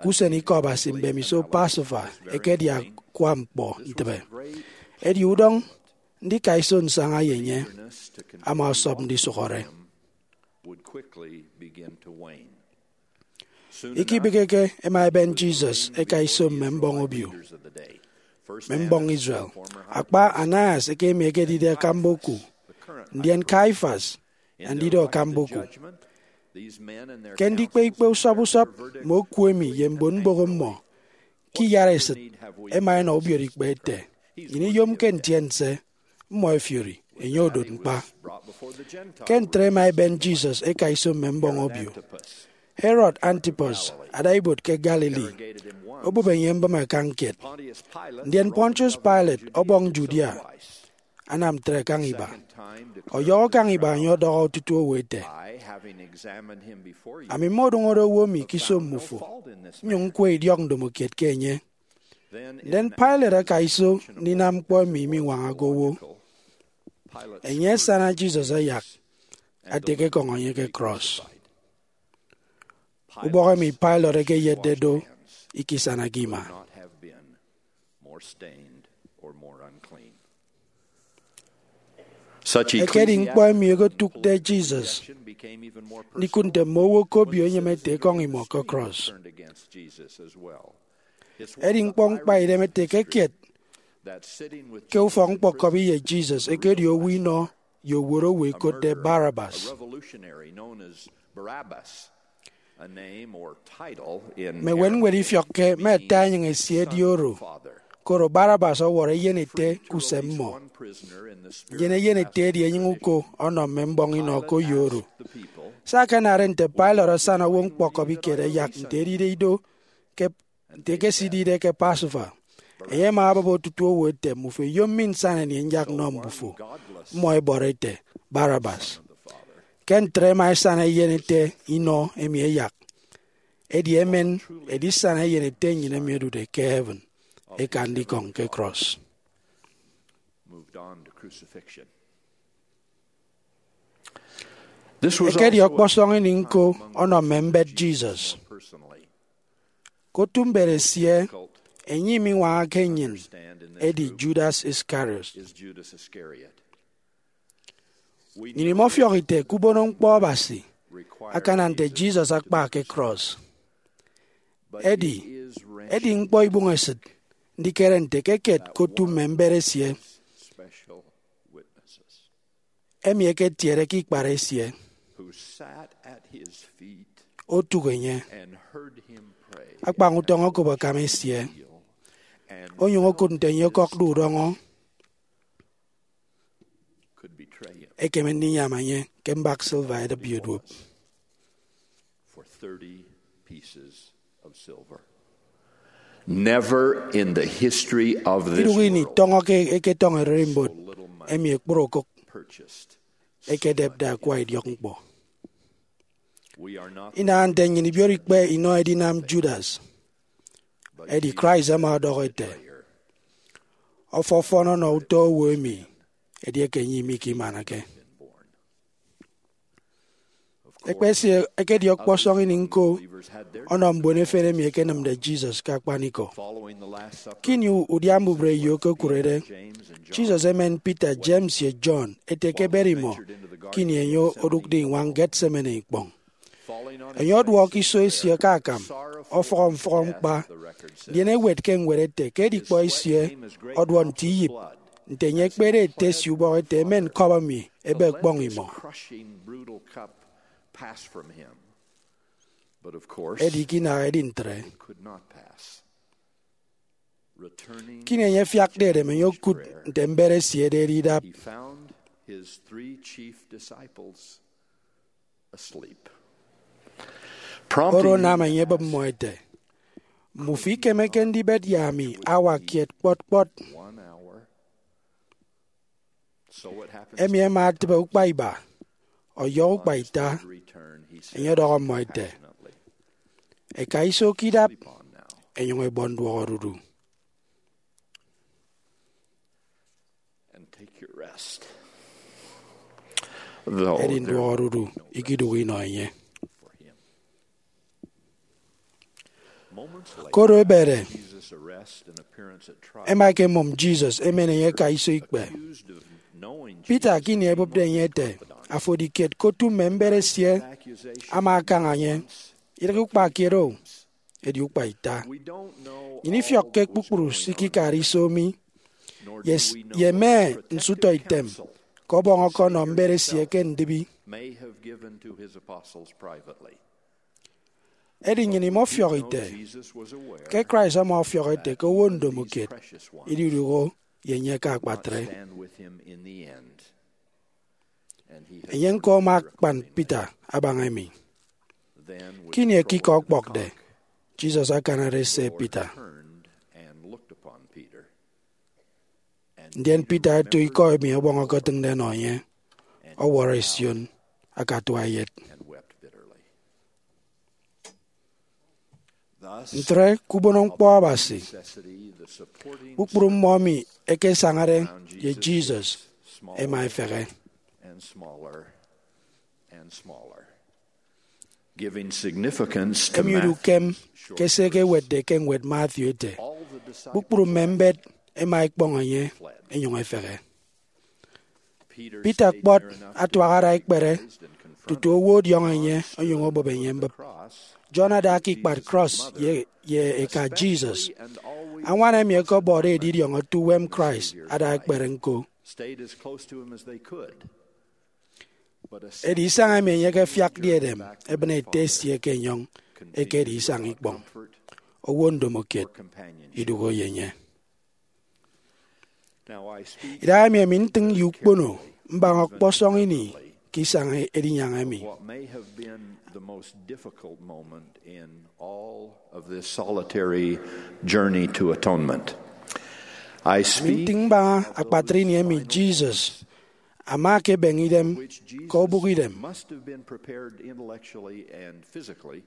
ke usen Ikọ Abasi mbemiso Passover ekedi akwa ñkpọ ntịbe. Edi udọñ ndika iso nsaña ye enye ama ọsọp ndisụhọre. Ikibịghike, ẹma ẹben Jesus ẹka iso mme mbọñ obio, mme mbọñ Israel, akpa Annas eke emi ekedide akamba oku, ndien Caiaphas, andidọ akamba oku. Ke ndikpe ikpe usọp usọp mme oku emi ye mbon mbụk mmọ ke iyaresịt, ẹma ẹnọ ubiereikpe ẹte, nnyịn iyomke ntiense, mmọ ẹfiori, enye odot ñkpa. Ke ntre ẹma ẹben Jesus ẹka iso mme mbọñ obio. Herod Antipas ada ibuot ke Galilee, obụp enye mbịme akañ kiet. Ndien Pontius Pilate, ọbọñ Judea, anam ntre kaña iba. Ọyọhọ kaña iba enye ọdọhọ otutu owo ete, ami mmodụñọde owo emi ke iso mmufo, nnyụñ ñkwe idiọk ndomokiet ke enye. Ndien Pilate aka iso ndinam ñkpọ emi miñwañake owo. Enye asana Jesus ayak, atek ekọñ enye ke cross. Ubọk emi Pilate ekeyetde do ikisanake ima. Ekedi ñkpọ emi okotụkde Jesus ndikụt nte mme owo ke obio enyem ete ekọñ imọ ke cross. Edi ñkpọ ñkpaidem ete ke kiet ke ufọk-ñkpọkọbi ye Jesus ekedi owo inọ ye owot owo ekotde Barabbas. Mme ewenñwed ifiọkke mme ata enyịñ esie edi oro, koro Barabbas ọwọrọ eyenete ke usem mmọ. Ndien eyenete edi enyịñ uko ọnọ mme mbọñ inọ ke oyo oro. Se akanade nte Pilate asana owo ñkpọkọbi kiet ẹyak nte edide ido ke nte ekesidide ke Passover. Enye ama abụp otutu owo ete, mbufo iyom mi nsana anie nyak nnọ mbufo? Mmọ ẹbọrọ ẹte, Barabbas. Ke ntre ẹma ẹsana eyenete inọ emi ẹyak. Edi emen edisana eyenete nnyịn emi odude ke heaven eka ndikọñ ke cross. Ekedi ọkpọsọñ ini ñko ọnọ mme mbet Jesus. Ke otu mbet esie, enye imiñwañake nnyịn, edi Judas Iscariot. Nnyịn imọfiọk ite ke ubonoñkpọ Abasi akana nte Jesus akpa ke cross. Edi, edi ñkpọ ibụñesịt ndikere nte ke kiet ke otu mme mbet esie, emi eketiede ke ikpat esie, otụk enye, akpañ utọñ okop akam esie, onyụñ okụt nte enye ọkọkde udọñọ. ekeme ndinyam enye ke mbak silver edịpyo duop. For thirty pieces of silver. Never in the history of this Idụhe ini world tọñọ ke eketọñọ ererimbot emi ekpụrụ okụk purchased. Ekedepde akwa idiọkñkpọ. We are not Inaha nte nnyịn ibiot ikpe inọ edinam Judas. Edi Christ ama ọdọhọ ete, "Ọfọfọn ọnọ utọ owo emi, edieke enye imikimana ke." Ekpesie ekedi ọkpọsọñ ini ñko ọnọ mbon efen emi ẹkenịmde Jesus ke akpanikọ. following the Last Supper. Ke ini udia mbubre eyo okokụrede, Jesus emen Peter, James, ye John ete ke ẹberi imọ ke ini enye odụkde iñwañ Gethsemane ikpọñ. Enye ọduọk iso esie ke akam, ọfọhọ mfọhọ ñkpa, ndien ewet ke ñwed ete ke edikpọ esie ọduọ nte iyịp, nte enye ekpede ete esie ubọk ete, "Emen cup emi ebe ekpọñ imọ." Crushing, brutal cup passed from him. But of course, Edi ikinaha edi ntre. Could not pass. Returning, Ke ini enye afiakde edem, enye okụt nte mbet esie ederi idap. He found his three chief disciples asleep. Oro anam enye ebịp mmọ ete, "Mmufo ikemeke ndibet ye ami awa kiet kpọt kpọt." One hour. So it happened. Emi ẹma ẹtịbe ukpa iba, ọyọhọ ukpa ita, Return, he said enye ọdọhọ mmọ ete, passionately, "Ẹka iso ke idap, "Sleep on now ẹnyụñ ẹbọ nduọk odudu." and take your rest." Though Edi there nduọk odudu ikidụhe inọ enye. for him. Moments later, Koro ebede, Jesus' arrest and appearance at trial. ẹma ẹkemụm Jesus emen enye ẹka iso ikpe. Accused of knowing Peter Jesus ke ini ẹbụpde enye ete, "Afo edi kiet ke otu mme mbet esie," accusation ama akaña enye, "Idịghe ukpa kiet o, edi ukpa ita." We don't know Nnyịn ifiọkke kpukpru se ikikade iso mi, nor ye, do we know ye what mme protective nsụtọ item counsel ke ọbọñọ ọkọnọ mbet esie ke ndịbi. May have given to his apostles privately. Edi nnyịn imọfiọk ite Jesus was aware ke Christ ama ọfiọk ete ke owo ndomokiet precious ones ididụhe ye enye ke akpatre. Stand with him in the end. And he has Enye ñko ama akpan Peter abaña emi. Then Ke ini ekikọ ọkpọkde, Jesus akanade se Peter. Turned and looked upon Peter Ndien Peter eto ikọ emi ọbọñ ọkọtịñde ẹnọ enye, ọwọrọ esion, akatua eyet. And wept bitterly. Thus, Ntre, ke ubonoñkpọ Abasi, necessity, the supporting kpukpru mmọ emi ẹkesañade ye Jesus ẹma ẹfehe. And smaller and smaller, giving significance to Emi edi Matthew. Ukem ke se ekewetde ke ñwed Matthew ete, "Kpukpru mme mbet ẹma ẹkpọñ enye, ẹnyụñ ẹfehe." Peter kpọt atuak ada ekpere tutu owo ọdiọñọ enye onyụñ obụp enye mbụp. John ada ke ikpat krọs ye, ye eka Jesus. Añwan emi ẹkọbọde edidiọñ otu uwem Christ ada ekpere ñko. Stayed as close to him as they could. But a Edi isañ emi enye ekefiakde edem ebịne ete esie ke enyọñ ekedi isañ ikpọñ. Owo ndomokiet idụhe ye enye. Now I speak Idahaemi ami ntịñ ye ukpono mbaña ọkpọsọñ ini ke isañ edinyaña emi. what may have been the most difficult moment in all of this solitary journey to atonement. I Ami speak ntịñ mbaña akpatre ini emi Jesus ama ekebeñe idem ke obụk idem, must have been prepared intellectually and physically,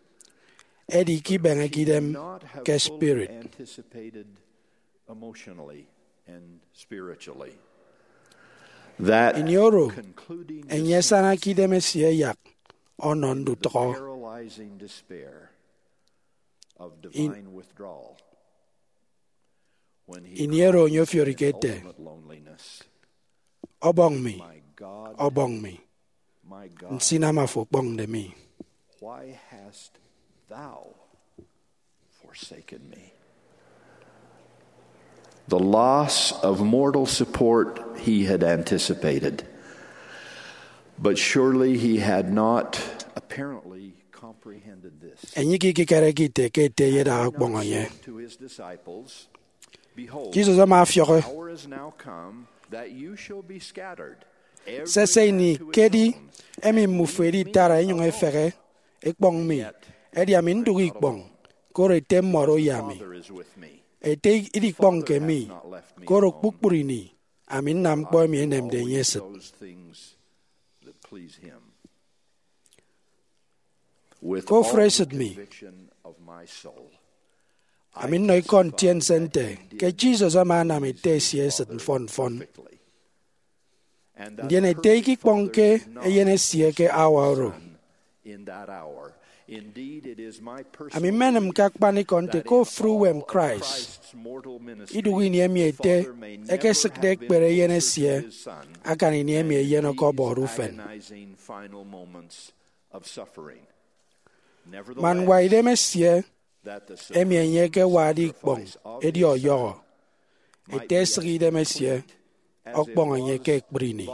edi ikibeñeke idem not have ke fully spirit. Anticipated emotionally and spiritually. That Ini oro, concluding enye asana ke idem esie eyak ọnọ ndutụhọ. Paralyzing despair of divine withdrawal. When he Ini oro enye ofiorike ete, ultimate loneliness, "Ọbọñ mi, "My God, ọbọñ mi, my God, nsinam afo okpọñde mi." Why hast thou forsaken me?" The loss of mortal support he had anticipated, but surely he had not apparently comprehended this. Enye ikekere ke ite ke ete eyedaha ọkpọñ enye. To his disciples, "Behold, Jesus ama ọfiọk, hour is now come that you shall be scattered, Sese ini ke edi emi mmufo editara enyụñ efehe ekpọñ mi, edi ami ndụk ikpọñ, koro Ete mmọdo ye ami. Ete idikpọñke mi, koro kpukpru ini ami nnam ñkpọ emi enemde enye esịt. Ke ofụri esịt mi, ami nnọ ikọ ntiense nte ke Jesus ama anam Ete esie esịt mfọn mfọn. Ndien Ete ikikpọñke Eyen esie ke hour oro. Ami mmenịm ke akpanikọ nte ke ofụri uwem Christ, idụhe ini emi Ete ekesịkde ekpere Eyen esie akan ini emi eyen ọkọbọde ufen. Man ñwaidem esie emi enye ekewade ikpọñ edi ọyọhọ, Ete esịk idem esie ọkpọñ enye ke ekpri ini.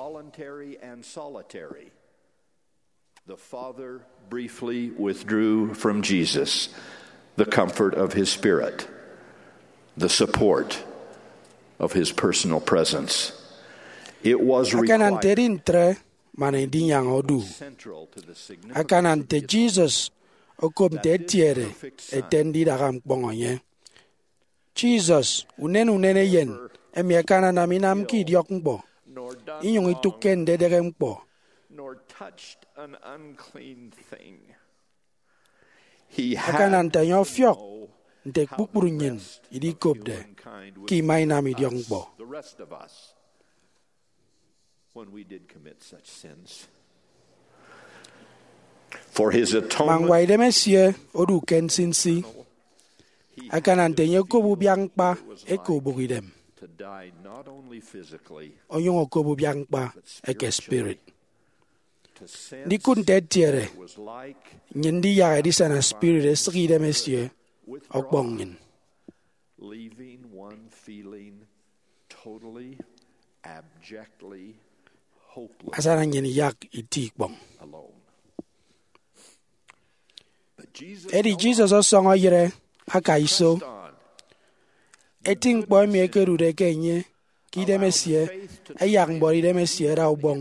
The Father briefly withdrew from Jesus the comfort of his Spirit, the support of his personal presence. It was akana nte edi ntre man edinyaña odu. Akana nte Jesus okop nte etiede Ete ndidaha ñkpọñ enye. Jesus, unen unen Eyen emi akananam inamke idiọkñkpọ, inyụñ itụkke ndedehe ñkpọ. Akana nte enye ọfiọk nte kpukpru nnyịn idikopde ke ima inam idiọkñkpọ. Man ñwaidem esie odu ke nsinsi, akana nte enye okop ubiak ñkpa eke ubụkidem, onyụñ okop ubiak ñkpa eke spirit. Ndikụt nte etiede nnyịn ndiyak edisana spirit esịk idem esie ọkpọñ nnyịn. Asana nnyịn iyak iti ikpọñ. Edi Jesus ọsọñọ eyịre aka iso eti ñkpọ emi ẹkedude ke enye ke idem esie, ẹyak mbuọtidem esie ẹda ubọñ.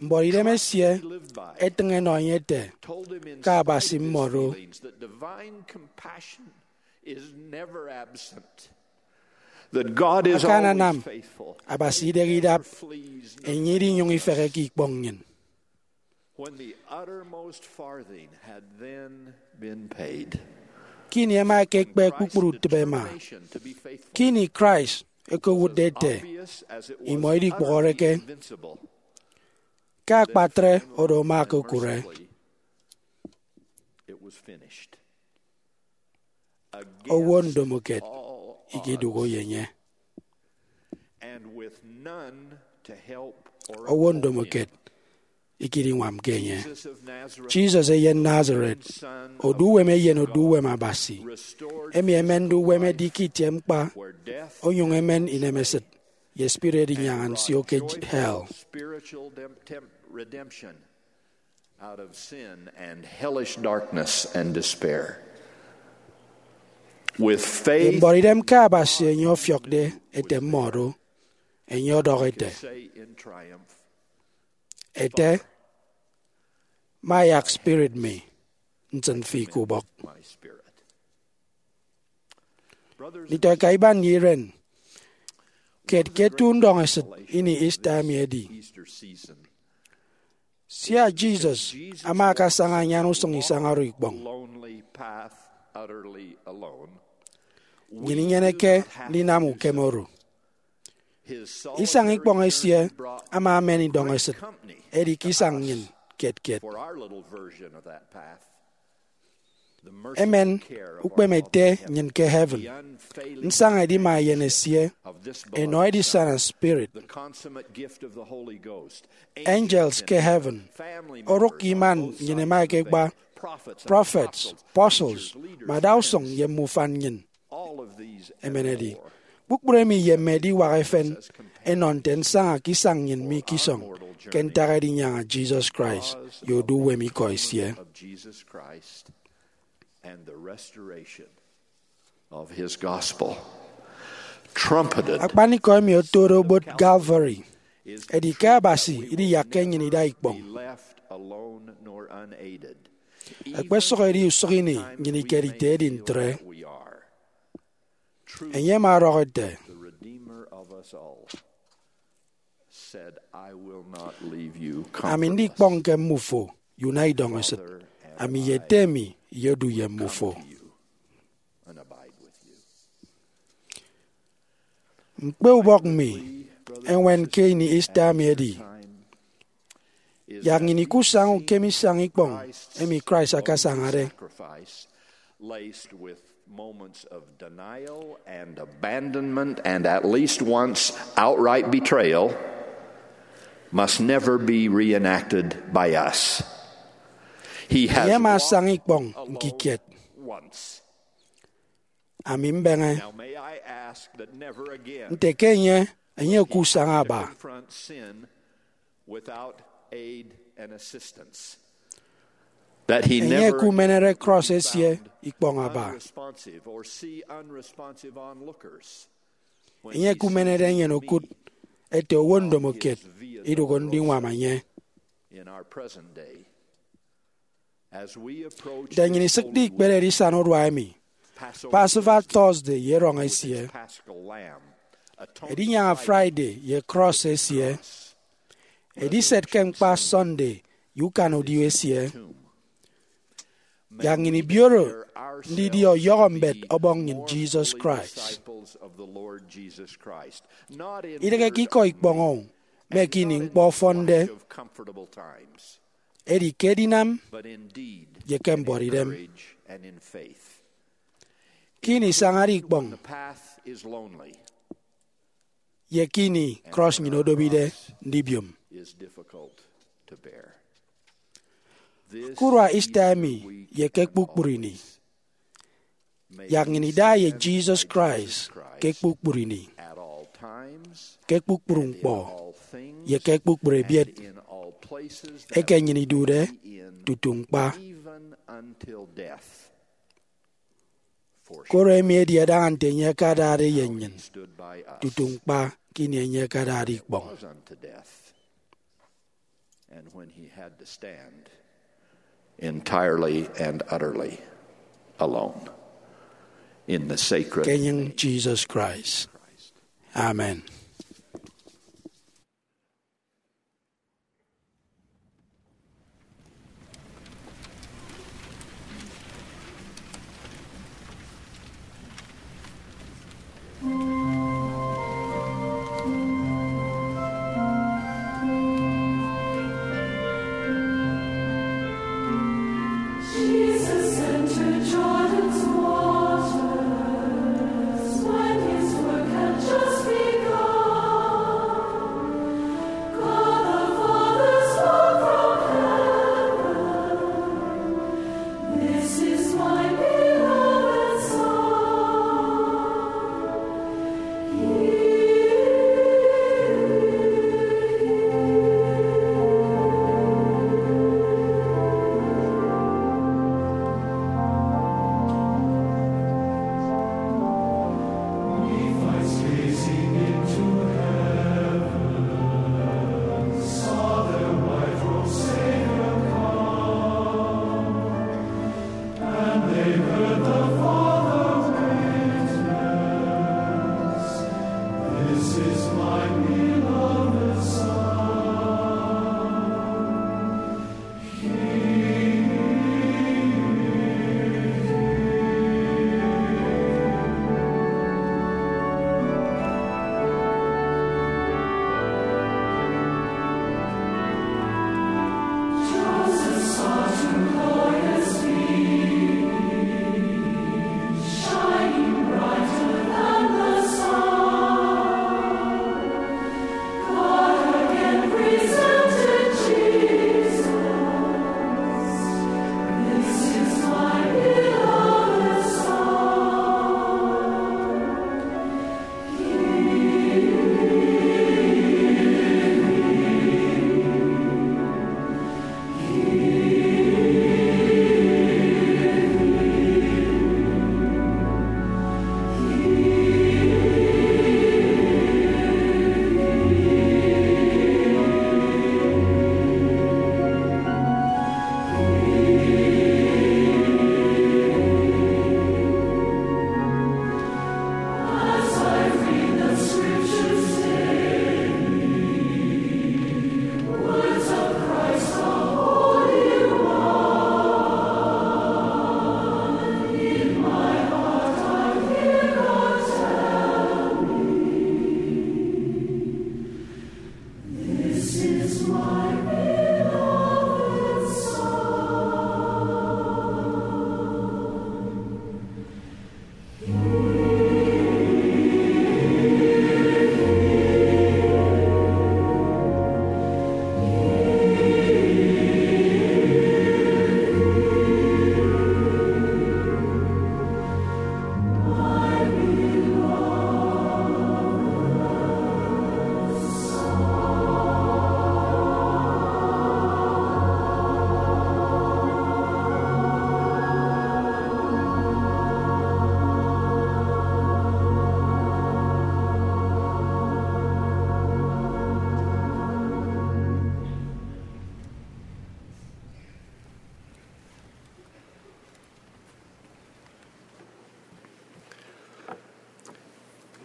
Mbuọtidem esie etịñ enọ enye ete ke Abasi mmọdo. Akananam Abasi idịghe idap enye idinyụñ ifeheke ikpọñ nnyịn. Ke ini ẹma ẹkekpe kpukpru utịp ẹma, ke ini Christ okowụtde ete imọ idikpụhọreke, ke akpatre oro ama okokụre. Owo ndomokiet ikidụhe ye enye. Owo ndomokiet ikidiñwamke enye. Jesus eyen Nazareth, odu uwem eyen odu uwem Abasi, emi emende uwem edi ke itie ñkpa, onyụñ emen inemesịt ye spirit edinyaña nsio ke hell. Out of sin and hellish darkness and despair. With faith, mbuọtidem ke Abasi enye ọfiọkde ete mmọdo, enye ọdọhọ ete, say in triumph, Ete, mayak spirit mi nsịn fi ke ubọk. My spirit. Nditọeka iban ye iren, kiet ke eto undọñesịt ini Easter emi edi. Sia Jesus ama akasaña anyan usụñ isañ oro ikpọñ, nnyịn inyeneke ndinam ukeme oro. Isañ ikpọñ esie ama amen idọñesịt, edi ke isañ nnyịn kiet kiet. Emen ukpeme ete nnyịn ke heaven. Nsaña edima eyen esie, enọ edisana spirit, angels ke heaven, orụk iman nnyịn ẹma ẹkekpa, prophets, apostles, mme adausụñ ye mme ufan nnyịn. Emen edi, kpukpru emi ye mme ediwak efen ẹnọ nte nsaña ke isañ nnyịn mi ke isọñ, ke ntak edinyaña Jesus Christ ye odu uwem ikọ esie. And the restoration of his gospel. Trumpeted. Akpanikọ emi otode obot Calvary edi ke Abasi idiyakke nnyịn ida ikpọñ. Be left alone nor unaided. Ekpesụk edi usụk ini nnyịn ikedite edi ntre. Enye ama ọdọhọ ete, The Redeemer of us all said, "I will not leave you comfortless." Ami ndikpọñke mmufo ye una idọñesịt. Ami ye Ete mi iyedu ye mmufo. And abide with you. Ñkpeubọk mi eñwen ke ini Easter mi edi, yak nnyịn ikusaña ukeme isañ ikpọñ emi Christ akasañade. Laced with moments of denial and abandonment and at least once outright betrayal, must never be reenacted by us. He has Enye ama asaña ikpọñ ñkikiet. Once. Ami mbeñe. Now may I ask that never again Nte ke enye, enye ekusaña aba. Confront sin without aid and assistance. That he Enye never ekumenere cross esie ikpọñ aba. Unresponsive or see unresponsive onlookers. Enye ekumenere enyene okụt ete owo ndomokiet idụk ndiñwam enye. In our present day, Nte nnyịn isịkde ikpere edisana urua emi, Passover Thursday ye erọñ esie, Edinyaña Friday ye cross esie, Ediset ke ñkpa Sunday ye ukan udio esie, yak nnyịn ibioro ndidi ọyọhọ mbet Ọbọñ nnyịn Jesus Christ. Idịghe ke ikọ ikpọñ o, me ke ini ñkpọ ọfọnde, edi ke edinam ye ke mbuọtidem. Ke ini isañade ikpọñ, ye ke ini cross nnyịn odobide ndibiom. Ke urua Easter emi ye ke kpukpru ini, yak nnyịn ida ye Jesus Christ ke kpukpru ini, ke kpukpru ñkpọ, ye ke kpukpru ebiet eke nnyịn idude tutu ñkpa. Koro emi edi adaña nte enye akadade ye nnyịn tutu ñkpa ke ini enye akadade ikpọñ. And when he had to stand entirely and utterly alone in the sacred Ke enyịñ Jesus Christ. Amen.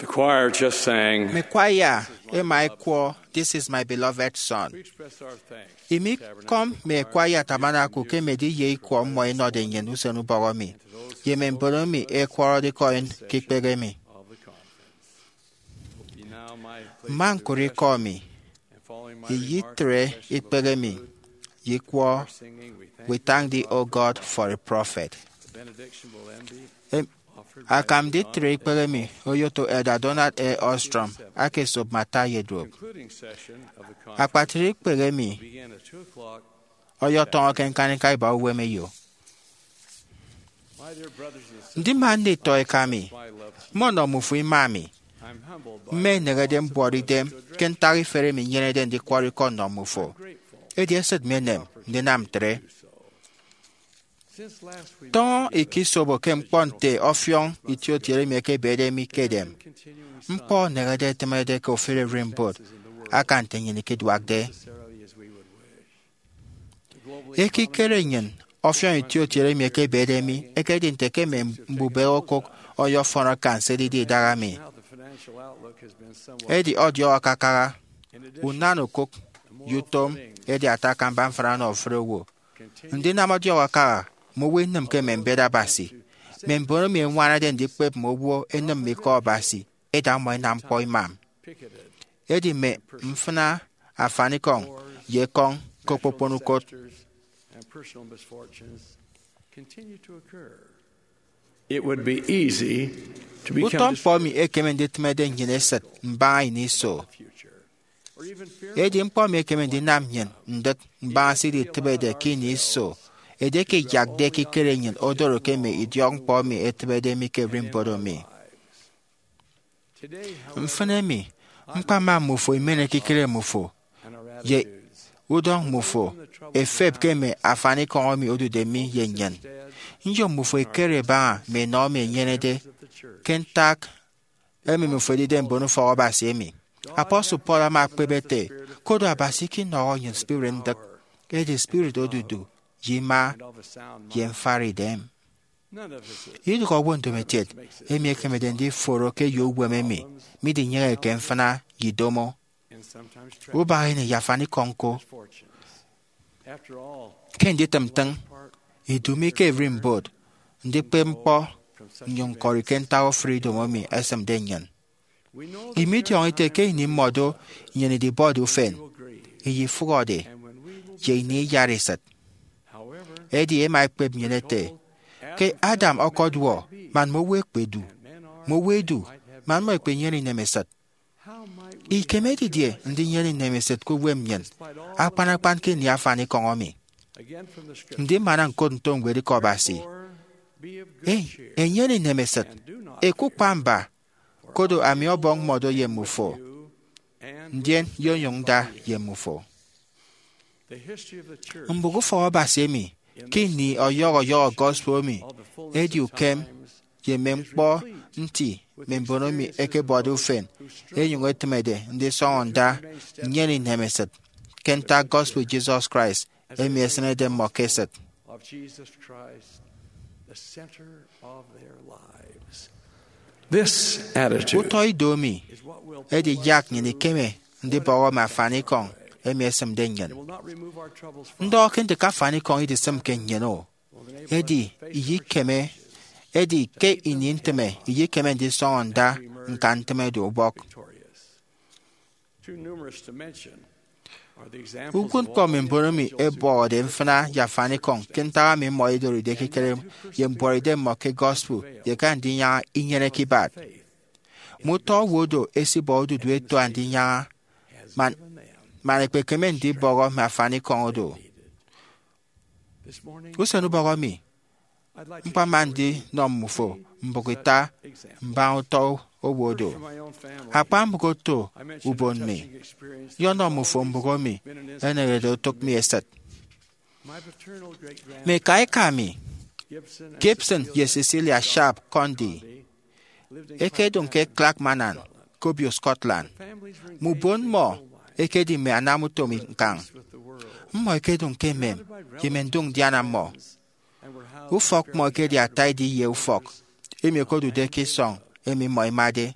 Mme kwaya ẹma ẹkwọ This Is My Beloved Son. Imikọm mme kwaya Tabernacle ke emedi ye ikwọ mmọ ẹnọde nnyịn usen ubọhọ mi, ye mme mbon emi ẹkwọrọde ikọ ke ikpehe mi. Mma ñkụre ikọ mi, iyitre ikpehe mi, ye ikwọ We Thank Thee, O God, for a Prophet. Akam nditre ikpehe mi oyoto Elder Donald A. Ostrom aka esop mme ata ye duop. Akpatre ikpehe mi ọyọtọñọ ke ñkañika iba uwem eyo. Ndima nditọ eka mi, mmọnọ mmufo ima mi. Mma nnehede mbuọt idem ke ntak iferi emi nnyenede ndikwọrọ ikọ nnọ mmufo, edi esịt mi enem ndinam ntre. Tọñọ ikisobo ke ñkpọ nte ọfiọñ itiotiede emi ekebede mi ke edem. Ñkpọ enehede etịmede ke ofụri ererimbot aka nte nnyịn ikeduakde. Ekikere nnyịn ọfiọñ itiotiede emi ekebede mi ekedi nte ke mme mbubehe okụk ọyọfọn akan se edide idaha mi. Edi ọdiọk akakaha, unan okụk, ye utom edi ata akamba mfịna ọnọ ofụri owo. Ndinam ọdiọk akaha mme owo inịm ke mme mbet Abasi, mme mbon emi ẹñwanade ndikpep mme owo ẹnịm mme ikọ Abasi, ẹda mmọ ẹnam ñkpọ imam. Edi mme mfịna afanikọñ ye ekọñ ke okpokpon ukot. It would be easy to become Utọ ñkpọ emi ekeme nditịmede nnyịn esịt mbaña ini iso. Edi ñkpọ emi ekeme ndinam nnyịn ndịk mbaña se iditịbede ke ini iso edieke iyakde ekikere nnyịn odoro ke mme idiọkñkpọ emi etịbede mi ke ererimbot emi. Mfịn emi, ñkpama mmufo imen ekikere mmufo ye udọñ mmufo efep ke mme afanikọñ emi odude mi ye nnyịn. Nyom mmufo ẹkere ẹbaña mme enọ emi ẹnyenede ke ntak emi mmufo ẹdide mbonufọk Abasi emi. Apostle Paul ama ekpep ete, koro Abasi ikinọhọ nnyịn spirit ndịk, edi spirit odudu ye ima ye mfari idem. Idụhe owo ndomokiet emi ekemede ndiforo ke eyo uwem emi midinyeñeke mfịna ye idomo, ubak ini ye afanikọñ ñko. Ke nditịm ntịñ, idu mi ke ererimbot ndikpep ñkpọ nnyụñ ñkọri ke ntak ofụri idomo emi ẹsịmde nnyịn. Imidiọñọ ite ke ini mmọdo nnyịn idibọde ufen, iyifụhọde, ye ini iyara esịt. Edi ẹma ẹkpep nnyịn ẹte, ke Adam ọkọduọ man mme owo ẹkpedu, mme owo ẹdu man mmọ ẹkpenyene inemesịt. Ikeme didie ndinyene inemesịt ke uwem nnyịn, akpan akpan ke ini afanikọñ emi? Ndimana ñkot nto ñwedikọ Abasi, Enyene inemesịt, ẹkukpa mba, koro ami Ọbọñ mmọdo ye mmufo, ndien nyonyụñ nda ye mmufo. Mbụk ufọk Abasi emi ke ini ọyọhọ ọyọhọ gospel emi edi ukem ye mme ñkpọ nti mme mbon emi ẹkebọde ufen ẹnyụñ ẹtịmede ndisọñọ nda nnyene inemesịt ke ntak gospel Jesus Christ emi esịnede mmọ ke esịt. This attitude Utọ ido emi edi yak nnyịn ikeme ndibọhọ mme afanikọñ emi ẹsịmde nnyịn. Ndọhọ ke ndịk afanikọñ idisịmke nnyịn o, edi iyikeme, edi ke ini ntịme iyikeme ndisọñọ nda ñkan ntịmede ubọk. Uwụtñkpọ mme mbon emi ẹbọhọde mfịna ye afanikọñ ke ntak emi mmọ ẹdoride ekikere ye mbuọtidem mmọ ke gospel ye ke andinyaña inyeneke ibat. Mme utọ owo do ẹsibọ odudu ẹto andinyaña man, man ẹkpekeme ndibọhọ mme afanikọñ odo. Usen ubọhọ emi, ñkpama ndinọ mmufo mbụk ita mbaña utọ owo do. Akpa mbụk oto ubon mi, nyọnọ mmufo mbụk emi ẹneñede otụk mi esịt. Mme eka eka mi, Gibson ye Cecilia Sharp Condie, ẹkedụñ ke Clackmannan, ke obio Scotland. Mme ubon mmọ ẹkedi mme anamutom ñkañ. Mmọ ẹkedụñ ke emem ye mme ndụk ndiana mmọ. Ufọk mmọ ekedi ata edi ye ufọk emi okodude ke isọñ emi mmọ ẹmade.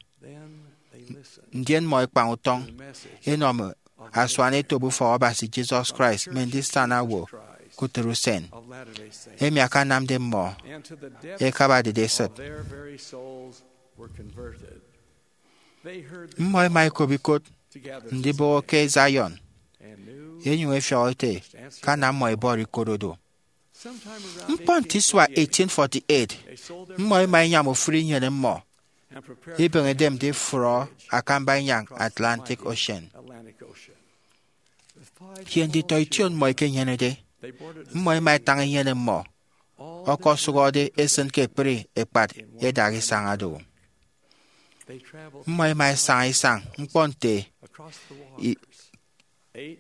ndien mmọ ekpañ utọñ enọ mme asuanetop Ufọk Abasi Jesus Christ mme Ndisana Owo ke Utịt Usen, emi akanamde mmọ ẹkabadede esịt. Mmọ ẹma ẹkop ikot ndibọhọ ke Zion, ẹnyụñ ẹfiọk ete ke ana mmọ ẹbọrọ ikot odo. Ñkpọ nte isua eighteen forty-eight, mmọ ẹma ẹnyam ofụri inyene mmọ, ibịghide ndifrọ akamba inyañ Atlantic Ocean. Ye nditọ ition mmọ ẹkenyenede, mmọ ẹma ẹtañ inyene mmọ, ọkọsụhọde esịn ke ekpri ekpat idaha isañ do. Mmọ ẹma ẹsaña isañ ñkpọ nte i-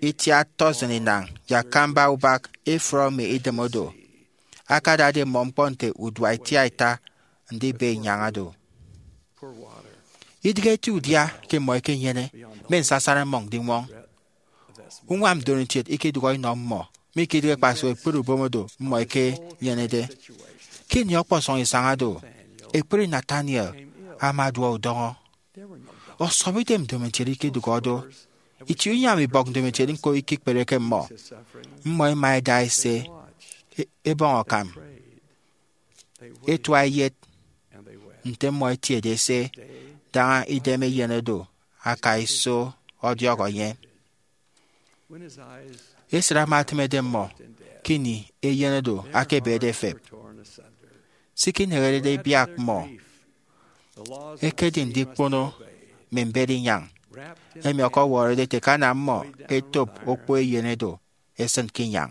itiat tọsin inañ ye akamba ubak ifụrọ mme idem odo, akadade mmọ ñkpọ nte udua itiaita ndibe inyañ do. Idịghe eti udia ke mmọ ẹkenyene mme nsasana mmọñ ndiñwọñ. Uñwam ndomokiet ikedụhọ inọ mmọ, mi ke idịghe kpasụk ekpri ubom odo mmọ ẹkenyenede. Ke ini ọkpọsọñ isañ do, ekpri Nathaniel ama aduọ udọñọ. Ọsọbidem ndomokiet ikedụhọ do. Itie unyam ibọk ndomokiet ñko ikikpereke mmọ. Mmọ ẹma ẹda ẹse e- ebọñ akam, ẹtua ẹyet nte mmọ ẹtiede ẹse daña idem eyen odo aka iso ọdiọk enye. Esịt ama etịmede mmọ ke ini eyen odo akebede efep. Se ikinehedede ibiak mmọ ekedi ndikpono mme mbet inyañ, emi ọkọwọrọde ete ke ana mmọ etop okpo eyen odo esịn ke inyañ.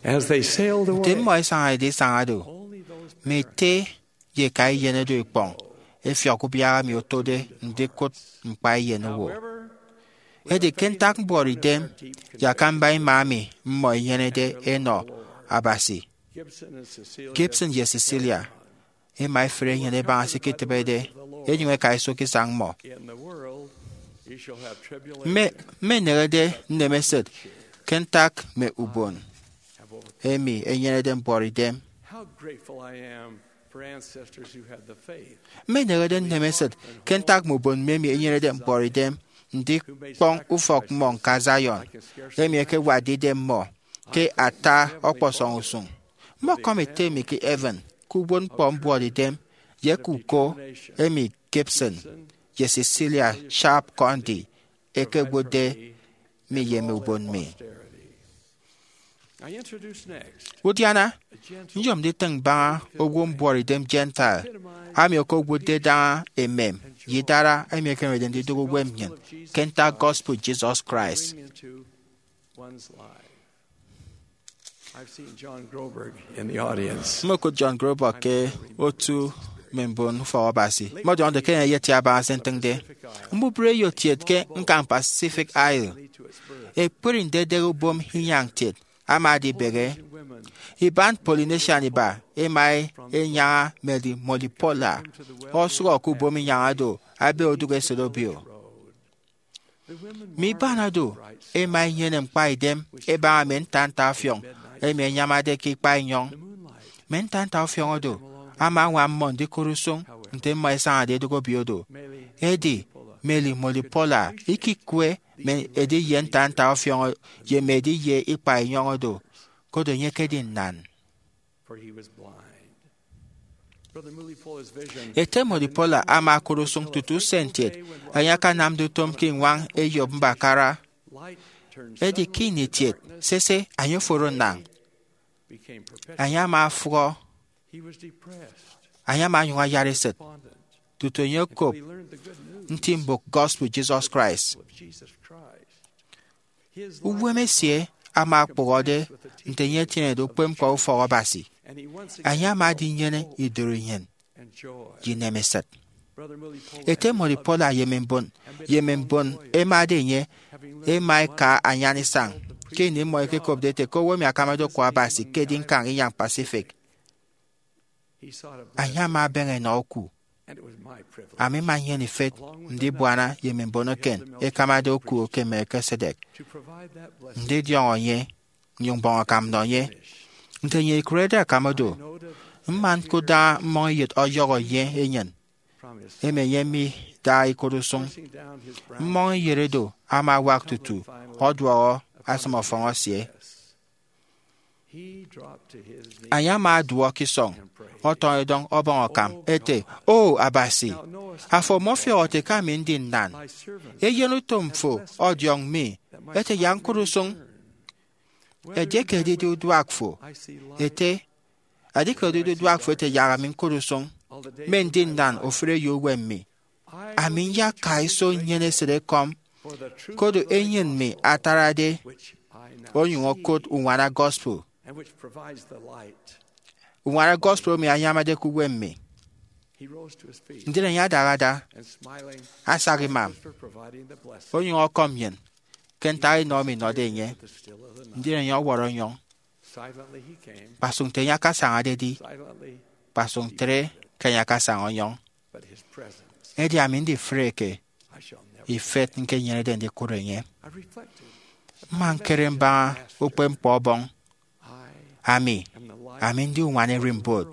Nte mmọ ẹsañade isañ do, mme ete ye eka eyen odo ikpọñ ẹfiọk ubiak emi otode ndikụt ñkpa eyen owo. Edi ke ntak mbuọtidem ye akamba ima emi mmọ ẹnyenede ẹnọ Abasi, Gibson ye Cecilia ẹma ẹfre enyịn ẹbaña se iketịbede, ẹnyụñ ẹka iso ke isañ mmọ. Mme mme ẹneñede nnemesịt ke ntak mme ubon emi ẹnyenede mbuọtidem. Mme ẹneñede nnemesịt ke ntak mme ubon mme emi ẹnyenede mbuọtidem ndikpọñ ufọk mmọ ñka Zion, emi ẹkewatde idem mmọ ke ata ọkpọsọñ usụñ. Mmọkọm ete mi ke Evan ke uwụtñkpọ mbuọtidem ye ke uko emi Gibson ye Cecilia Sharp Condie ẹkewotde mi ye mme ubon mi. Udiana, nyom nditịñ mbaña owo mbuọtidem Gentile, ami okowụtde daña emem ye idara emi ẹkemede ndidụk uwem nnyịn ke ntak gospel Jesus Christ. Mmokụt John Groberg ke otu mme mbon ufọk Abasi, mmọdiọñde ke enye eyetie abaña se ntịñde. Mbubreyo kiet ke ñkañ Pacific Isle, ekpri ndedek ubom inyañ kiet ama adibehe. Iban Polynesian iba ẹma ẹnyaña Mary Molipola, osụhọ ke ubom inyañ do, ebe odụk esịt obio. Mme iban do ẹma ẹnyene ñkpaidem ẹbaña mme ntantaọfiọñ emi ẹnyamade ke ikpa enyọñ. Mme ntantaọfiọñ do ama añwam mmọ ndikụt usụñ nte mmọ ẹsañade ẹdụk obio do. Edi Mary Molipola ikikwe mme ediye ntantaọfiọñ ye mme ediye ikpa enyọñ do, koro enye ekedi nnan. Ete Modipola ama okụt usụñ tutu usen kiet enye akanamde utom ke iñwañ eyop mbakara. Edi ke ini kiet sese enye oforo nnañ, enye ama afụhọ, enye ama onyụñ ayat esịt tutu enye okop nti mbụk gospel Jesus Christ. Uwem esie ama okpụhọde nte enye etienede ukpepñkpọ ufọk Abasi. Enye ama edinyene idụri nnyịn ye inemesịt. Ete Modipola ye mme mbon ye mme mbon ẹmade enye ẹma ẹka anyan isañ. Ke ini mmọ ẹkekopde ete ke owo emi akamade oku Abasi ke edi ñkañ inyañ Pacific, enye ama ebeñe enọ oku. Ami mma nnyene ifet ndibuana ye mme mbon eken ẹkamade oku ke Melchizedek, ndidiọñọ enye, nnyụñ mbọñ akam nnọ enye. Nte enye ikụrede akam do, Mma ñkudaña mmọñeyet ọyọhọ ye enyịn emi enye midaha ikodusụñ. Mmọñeyet do ama awak tutu ọduọhọ asịm ọfọñ esie. Enye ama aduọ ke isọñ, ọtọñọ edọñ, ọbọñ akam, ete, O Abasi, afo ọmọfiọk ete ke ami ndi nnan. Eyen utom fo ọdiọñ mi, ete, Yak ñkụt usụñ. Edieke edide uduak fo, ete, edieke edide uduak fo, ete, Yak ami ñkụt usụñ. Mme ndi nnan ofụri eyo uwem mi. Ami nyaka iso nnyene esịtekọm, koro enyịn mi atarade onyụñ okụt uñwana gospel, uñwana gospel emi anyamade ke uwem mi. Ndien enye adahada, asak imam, onyụñ ọkọm nnyịn ke ntak enọ emi nnọde enye. Ndien enye ọwọrọ ọnyọñ. Kpasụk nte enye akasañade edi, kpasụk ntre ke enye akasaña ọnyọñ. Edi ami ndifreke ifet ñkenyenede ndikụt enye. Mma ñkere mbaña ukpepñkpọ Ọbọñ, Ami, ami ndi uñwana ererimbot.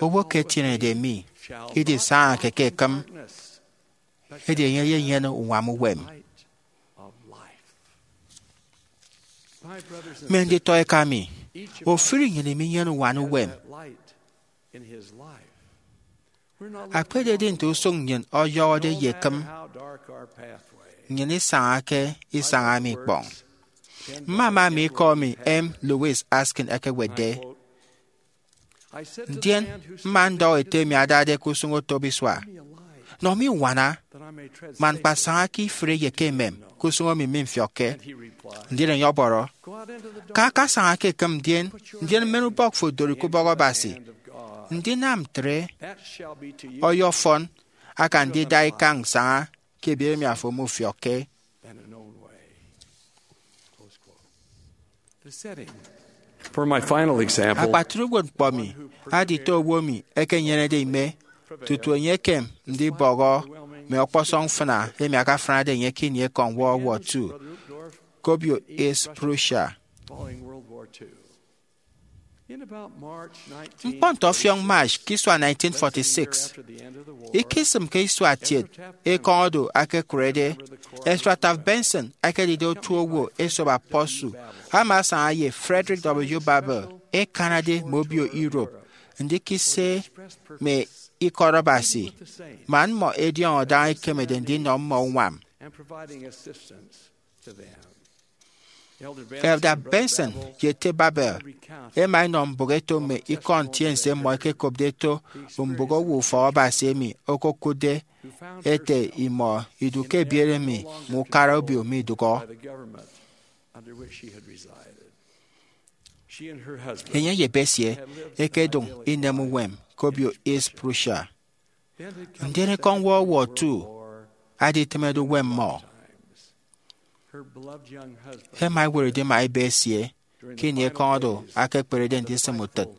Owo ke etienede mi idisañake ke ekịm, edi enye eyenyene uñwam uwem. Mme nditọ eka mi, ofụri nnyịn minyene uñwana uwem. Akpededi nte usụñ nnyịn ọyọhọde ye ekịm, nnyịn isañake isañ emi ikpọñ. Mmama mi ikọ emi M. Lewis Askin ekewetde, ndien mma ndọhọ ete emi adade ke usụñ otop isua, Nọ mi uñwana, man ñkpasaña ke ifụre ye ke emem ke usụñ emi mimfiọkke. Ndien enye ọbọrọ, Ka akasaña ke ekịm ndien, ndien mmen ubọk fo dori ke ubọk Abasi. Ndinam ntre ọyọfọn aka ndida ikañ saña ke ebiet emi afo mufiọkke. For my final example, akpatre uwetñkpọ mi adite owo emi ekenyenede ime tutu enye ekem ndibọhọ mme ọkpọsọñ mfịna emi akafịnade enye ke ini ekọñ World War Two ke obio East Prussia. Following World War Two. In about March nineteen forty-six, ñkpọ nte ọfiọñ March ke isua nineteen forty-six, ikisịm ke isua kiet ekọñ oro akekụrede, Ezra Taft Benson ekedide otu owo esop apostle ama asaña ye Frederick W. Babel, ekanade mme obio Europe, ndikise mme ikọt Abasi, man mmọ ẹdiọñọ daña ikemede ndinọ mmọ uñwam. Elder Benson ye ete Babel ẹma ẹnọ mbụk ẹto mme ikọ ntiense mmọ ẹkekopde ẹto mbụk owo ufọk Abasi emi okokụtde ete imọ idu ke ebiet emi mme ukara obio midụhọ. Enye ye ebe esie ẹkedụñ inem uwem ke obio East Prussia. Ndien ekọñ World War Two aditịmede uwem mmọ. Ẹma ẹwọrọ idima ebe esie ke ini ekọñ oro akekperede ndisịm utịt,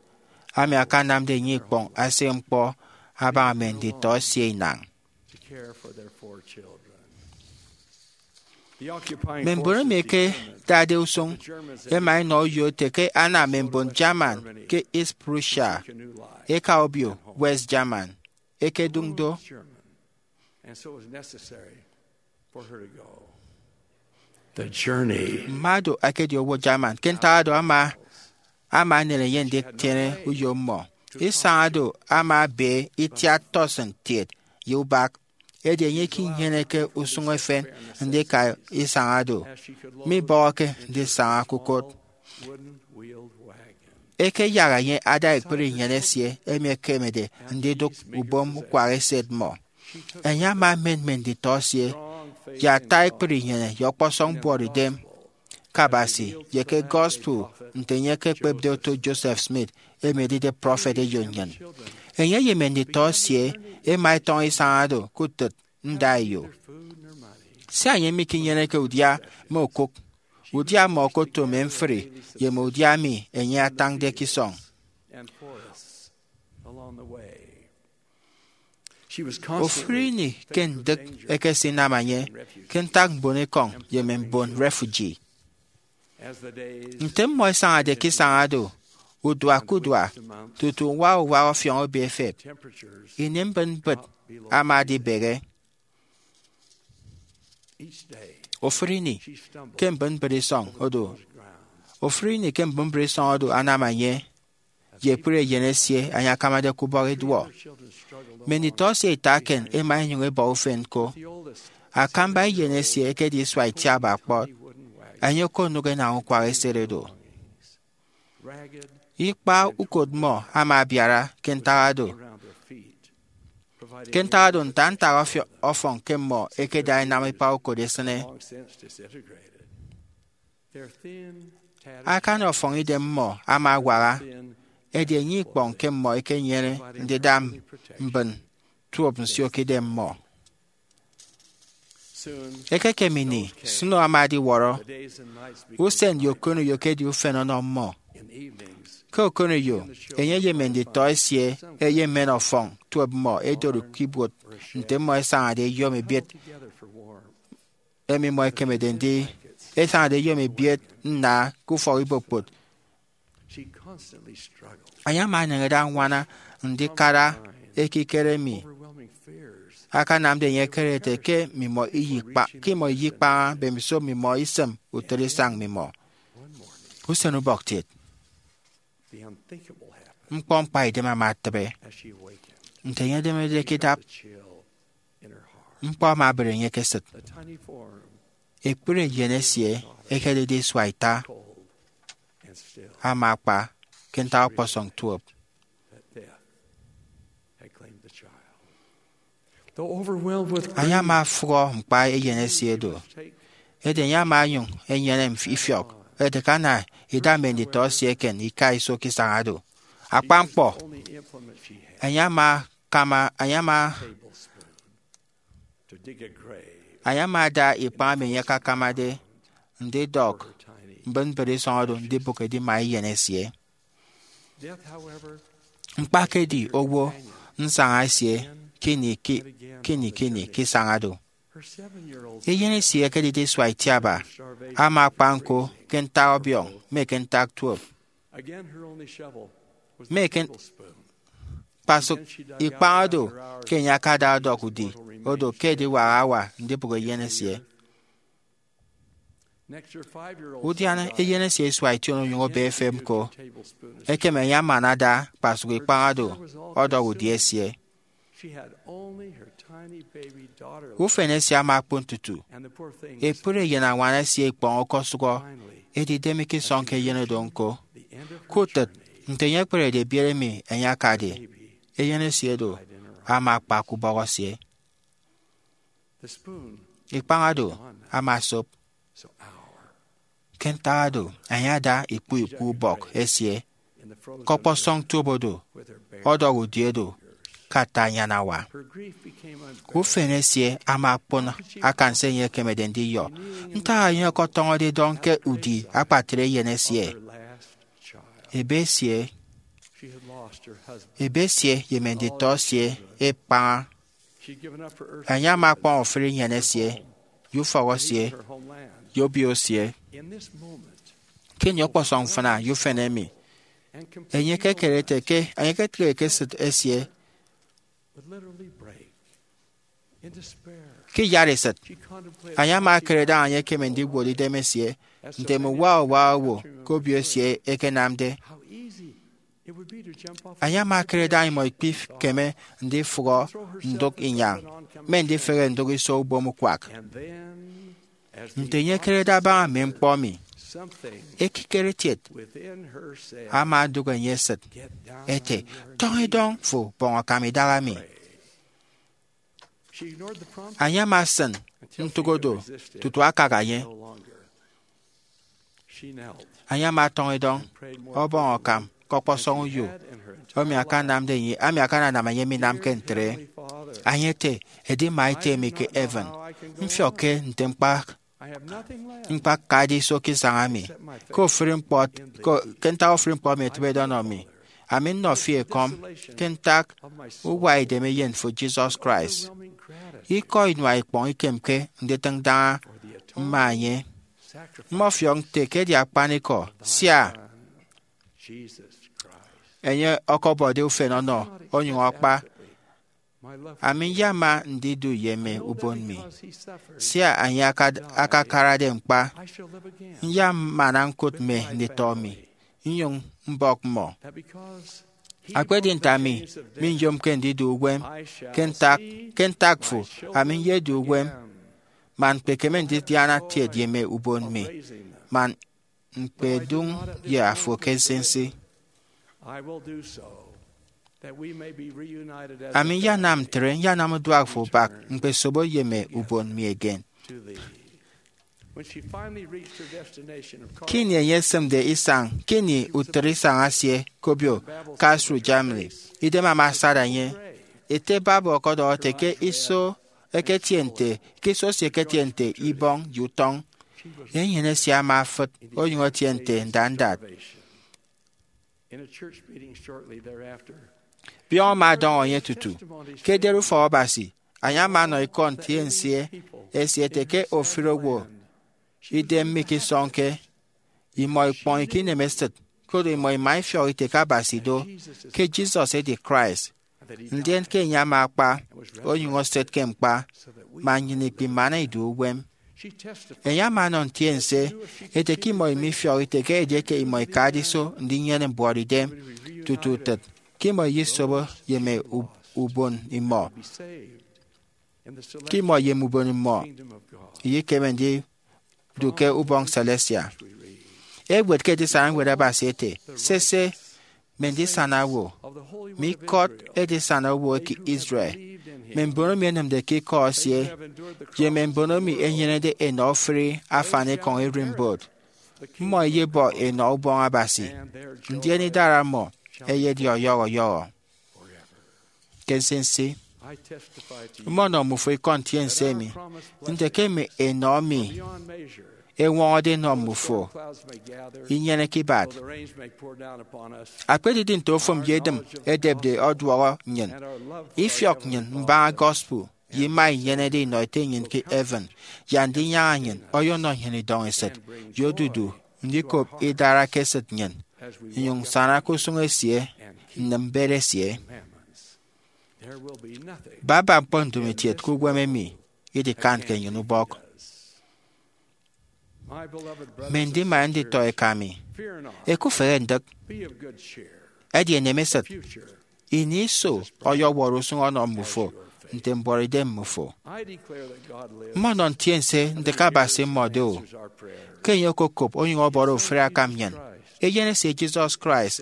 ami akanamde enye ikpọñ asịk ñkpọ abaña mme nditọ esie inañ. Mme mbon emi ẹkedade usụñ ẹma ẹnọ uyo ete ke ana mme mbon German ke East Prussia eka obio West German ẹkedụñ do. Mmado ẹkedi owo German, ke ntak oro ama ama anere enye nditiene uyo mmọ. Isañ oro ama ebe itiat tọsịn kiet ye ubak, edi enye ikinyeneke usụñ efen ndika isañ oro, mibọhọke ndisaña ke ukot. Ekeyak enye ada ekpri inyene esie emi ekemede ndidụk ubom ukwak eset mmọ. Enye ama emen mme nditọ esie ye ata ekpri inyene ye ọkpọsọñ mbuọtidem ke Abasi ye ke gospel nte enye ekekpepde oto Joseph Smith emi edide prọfet eyo nnyịn. Enye ye mme nditọ esie ẹma ẹtọñọ isañ oro ke utịt nda eyo. Sia enye mikinyeneke udia mme okụk, udia mmọ okoto mme mfri ye mme udia emi enye atañde ke isọñ. Ofụri ini ke ndịk ẹkesinam enye ke ntak mbonekọñ ye mme mbon refugee. Nte mmọ ẹsañade ke isañ oro, uduak ke uduak, tutu uwak uwak ọfiọñ obi efep. Ini mbịt mbịt ama adibehe. Ofụri ini ke mbịt mbịt isọñ odu, ofụri ini ke mbịt mbịt isọñ odu anam enye ye ekpri eyen esie enye akamade ke ubọk iduọ. Mme nditọ esie ita eken ema enyụñ ebọ ufen ko. Akamba eyen esie ekedi isua itiaba kpọt, enye okonụk enañ ukwak esede do. Ikpa ukot mmọ ama abiara ke ntak ado, ke ntak ado ntak ntak ọfi- ọfọñ ke mmọ ekeda enam ikpa ukot esịne. Akani ọfọñ idem mmọ ama awaha, edi enye ikpọñ ke mmọ ekenyene ndida mbịn tuop nsio ke idem mmọ. Ekekem ini, snow ama adiwọrọ. Usen ye okoneyo ekedi ufen ọnọ mmọ. Ke okoneyo, enye ye mme nditọ esie eyemen ọfọñ tuop mmọ edori ke ibuot nte mmọ esañade eyom ebiet emi mmọ ekemede ndi, esañade eyom ebiet nna ke ufọk ibokpot. Enye ama eneñede añwana ndikara ekikere emi akanamde enye ekere ete ke mmimọ iyikpa- ke imọ iyikpaña mbemiso mmimọ isịm utịt isañ mmimọ. Usen ubọktiet, ñkpọ mkpaidem ama etịbe. Nte enye edemede ke idap, ñkpọ ama ebịre enye ke esịt. Ekpri eyen esie ekedide isua ita ama akpa ke ntak ọkpọsọñ tuop. Enye ama afụhọ ñkpa eyen esie do, edi enye ama onyụñ enyene mf- ifiọk ete ke ana ida mme nditọ esie eken ika iso ke isañ ado. Akpan ñkpọ, enye ama kama enye ama enye ama ada ikpañ emi enye akakamade ndidọk mbịt mbịt isọñ odu ndibụk edima eyen esie. Ñkpa ke edi owo nsaña esie kini ki- kini kini ke isañ ado. Eyen esie ekedide isua itiaba ama akpa ñko ke ntak ọbiọñ mme ke ntak tuop. Mme ke kpasụk ikpañ odu ke enye akada ọdọk udi odu ke ediwak awa ndibụk eyen esie. Udiana eyen esie isua ition onyụñ obe efep ñko. Ekem enye aman ada kpasụk ikpañ odu ọdọk udi esie. Ufen esie ama okpon tutu ekpri eyen añwan esie ikpọñ okosụhọ, edi idem ikisọñke eyen odo ñko. Ke utịt, nte enye ekperede ebiet emi enye akade, eyen esie do ama akpa ke ubọk esie. Ikpañ odo ama osop. Ke ntak ado, enye ada ikpu ikpu ubọk esie ke ọkpọsọñ tuop odo ọdọk udi odu ke ata anyan awa. Ufen esie ama okpon akan se enye ekemede ndiyọ. Ntak enye ọkọtọñọde idọñ ke udi akpatre eyen esie? Ebe esie, ebe esie ye mme nditọ esie ekpaña. Enye ama ọkpọñ ofụri nnyịn esie, ye ufọk esie, ye obio esie. Ke ini ọkpọsọñ mfịna ye ufen emi, enye ekekere ete ke enye eketịghe ke esịt esie. Ke iyatesịt, enye ama ekere daña enye ekeme ndiwot idem esie nte mme uwa uwa owo ke obio esie ekenamde. Enye ama ekere daña imọ ikpikeme ndifụhọ ndụk inyañ mme ndifehe ndụk iso ubom ukwak. Nte enye ekerede abaña mme ñkpọ emi, ekikere kiet ama odụk enye esịt ete, "Tọñ idọñ fo, bọñ akam idaha mi." Enye ama esịn ntụk odo tutu akak enye. Enye ama ọtọñ idọñ ọbọñ akam ke ọkpọsọñ uyo emi akanamde enye, emi akananam enye minamke ntre. Enye ete, "Edima Ete mi ke heaven, mfiọkke nte ñkpa ñkpakade iso ke isañ emi, ke ofụri ñkpọ, ke, ke ntak ofụri ñkpọ emi etịbede ọnọ mi. Ami nnọ fi ekọm ke ntak uwa edem eyen fo, Jesus Christ. Ikọ inua ikpọñ ikemke nditịñ daña mma enye. Mmọfiọk nte ke edi akpanikọ, sia, enye ọkọbọde ufen ọnọ onyụñ akpa, ami nyama ndidu ye mme ubon mi. Sia enye akad- akakarade ñkpa, nyamana ñkụt mme nditọ mi, nnyụñ mbọk mmọ. Akpedi nte ami minyomke ndidu uwem ke ntak, ke ntak fo, ami nyedu uwem, man ñkpekeme ndidiana kiet ye mme ubon mi, man ñkpedụñ ye afo ke nsinsi. Ami nyanam ntre, nyanam uduak fo bak, ñkpesobo ye mme ubon mi eken. Ke ini enye esịmde isañ ke ini utịt isañ esie ke obio Kasru, Germany, idem ama asada enye. Ete Bible ọkọdọhọ ete ke iso eketie nte, ke iso esie eketie nte ibọñ ye utọñ. Enyịn esie ama afịt onyụñ etie nte ndandat. Biọñ ama adọñọ enye tutu. Ke ederi Ufọk Abasi, enye ama ọnọ ikọ ntiense esie ete ke ofụri owo idem mikisọñke, imọ ikpọñike inemesịt, koro imọ ima ifiọk ite ke Abasi do, ke Jesus edi Christ, ndien ke enye ama akpa onyụñ eset ke ñkpa, man nnyịn ikpimana idu uwem. Enye ama ọnọ ntiense ete ke imọ imifiọk ite ke edieke imọ ikade iso ndinyene mbuọtidem tutu utịt, ke imọ iyisobo ye mme u- ubon imọ, ke imọ ye mme ubon imọ iyekeme ndidu ke ubọñ celestial. Ewet ke edisana ñwed Abasi ete, sese, mme ndisana owo, mme ikọt edisana owo eke Israel, mme mbono emi ẹnịmde ke ikọ esie, ye mme mbono emi ẹnyenede enọ ofụri afanikọñ ererimbot, mmọ ẹyebọ enọ ubọñ Abasi, ndien idara mmọ ẹyedi ọyọhọ ọyọhọ ke nsinsi. Mmọnọ mmufo ikọ ntiense emi nte ke mme enọ emi ẹñwọñọde ẹnọ mmufo inyeneke ibat. Akpedidi nte ofụm ye edịm ẹdepde ọduọhọ nnyịn, ifiọk nnyịn mbaña gospel ye ima inyenede inọ Ete nnyịn ke heaven, yak ndinyaña nnyịn ọyọnọ nnyịn idọñ esịt ye odudu ndikop idara ke esịt nnyịn, nnyụñ nsana ke usụñ esie, nnịm mbet esie. Baba ñkpọ ndomokiet ke uwem emi idikantke nnyịn ubọk. Mme ndima nditọ eka mi, ẹkufehe ndịk, ẹdi ẹnem esịt. Ini iso ọyọwọrọ usụñ ọnọ mmufo nte mbuọtidem mmufo. Mmọnọ ntiense nte ke Abasi mmọde o, ke enye okokop onyụñ ọbọrọ ofụri akam nnyịn, Eyen esie Jesus Christ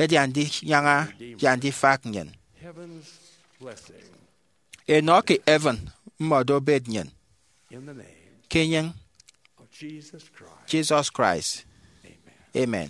edi Andinyaña ye Andifak nnyịn. Enọ ke heaven mmọdo obet nnyịn. Ke enyịñ Jesus Christ, amen.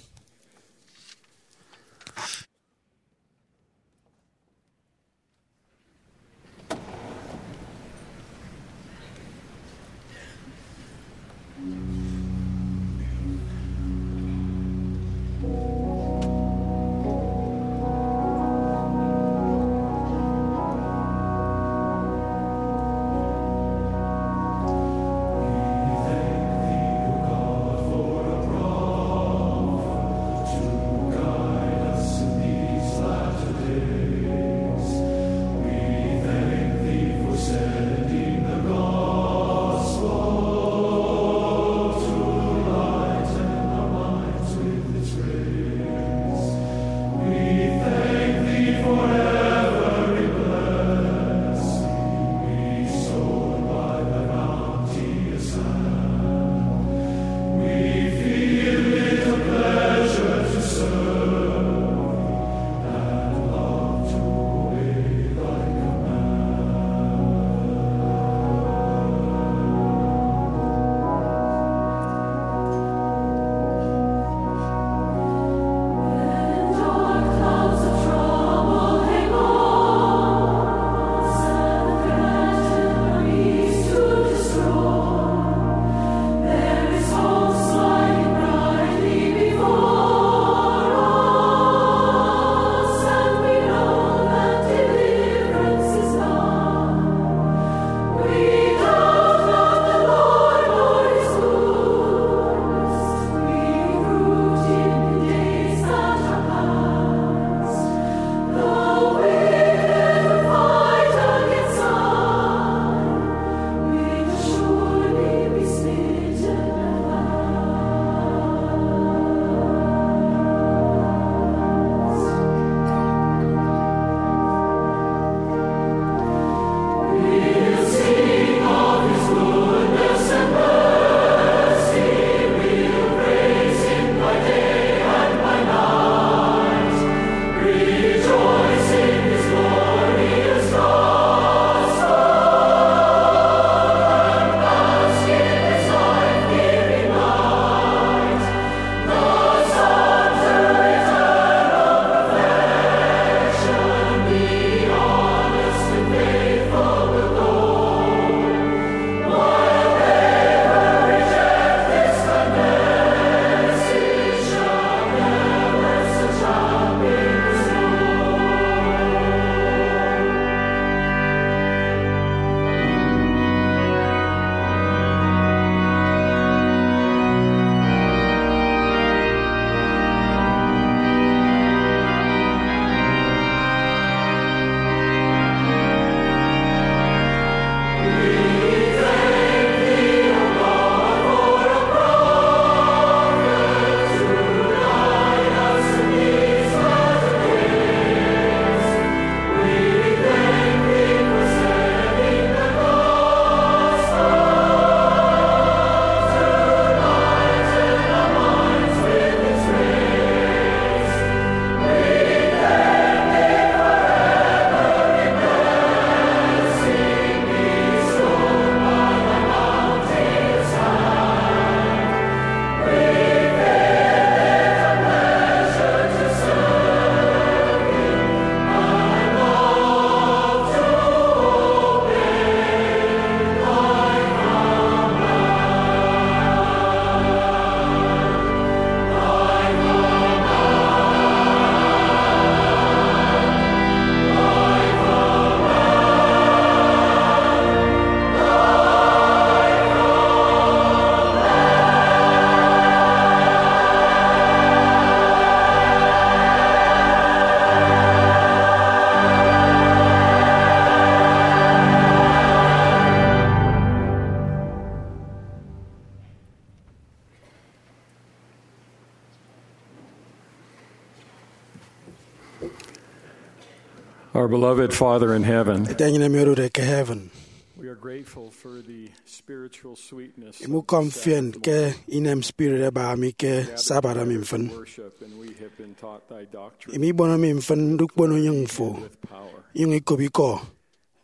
Our beloved Father in heaven, Ete enyịn emi odude ke heaven, we are grateful for the spiritual sweetness of imukọm the fien Sabbath ke inem spirit ebaha mi ke Sabbath emi mfịn. Worship, and we have been taught thy doctrine. Imi ikpono mi mfịn ndukpono unyịñ fo, with power. Inyụñ ikop ikọ,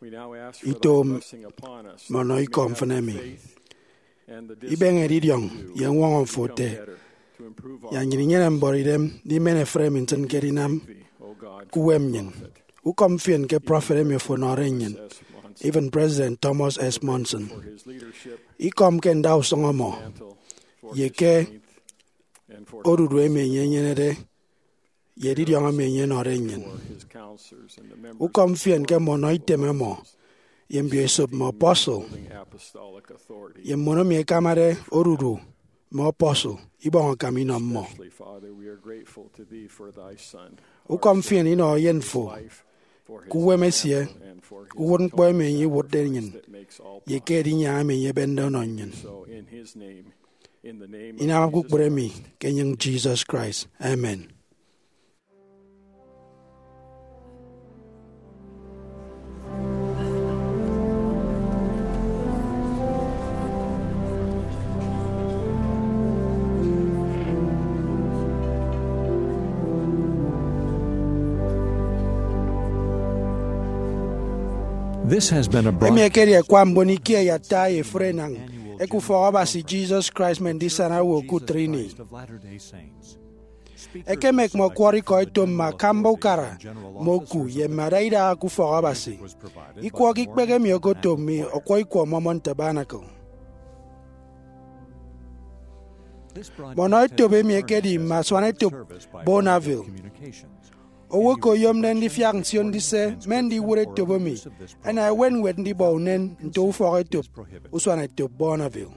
We now ask for ito thy blessing upon us, mme ọnọ ikọ mfịn emi. Ibeñe edidiọñ ye ñwọñọ fo ete, yak nnyịn inyene mbọrọidem ndimen efịt emi ntịñke edinam ke uwem nnyịn. Ukọm fien ke prọfet emi fo ọnọde nnyịn, even President Thomas S. Monson. Ikọm ke ndausụñ ọmọ, ye ke odudu emi enye enyenede, ye edidiọñ emi enye ọnọde nnyịn. Ukọm fien ke mme ọnọ item ọmọ, ye mbioesop mme apostle, ye mbon emi ẹkamade odudu mme apostle, ibọñ akam inọ mmọ. Ukọm fien inọ eyen fo ke uwem esie, ke uwụtñkpọ emi enye iwụtde nnyịn, ye ke edinyaña emi enye ebende ọnọ nnyịn. Inam kpukpru emi ke enyịñ Jesus Christ. Amen. This has been a broad- Emi ekedi ẹkwa mbon ikie ye ata ye efụre enañ eke Ufọk Abasi Jesus Christ Mme Ndisana Owo ke Utịt Ini. Ekemek mme ọkwọrọ ikọ eto mme akamba ukara, mme oku, ye mme adaidaha ke Ufọk Abasi. Ikwọ ke ikpehe emi okoto mme ọkwọ ikwọ Mormon Tabernacle. Mme ọnọ etop emi ekedi mme asuanetop Bonneville. Owo eke oyomde ndifiak nsio ndise mme ndiwụt etop emi, ẹna ẹwet ñwed ndibọ unen nto ufọk etop usuanetop Bonneville.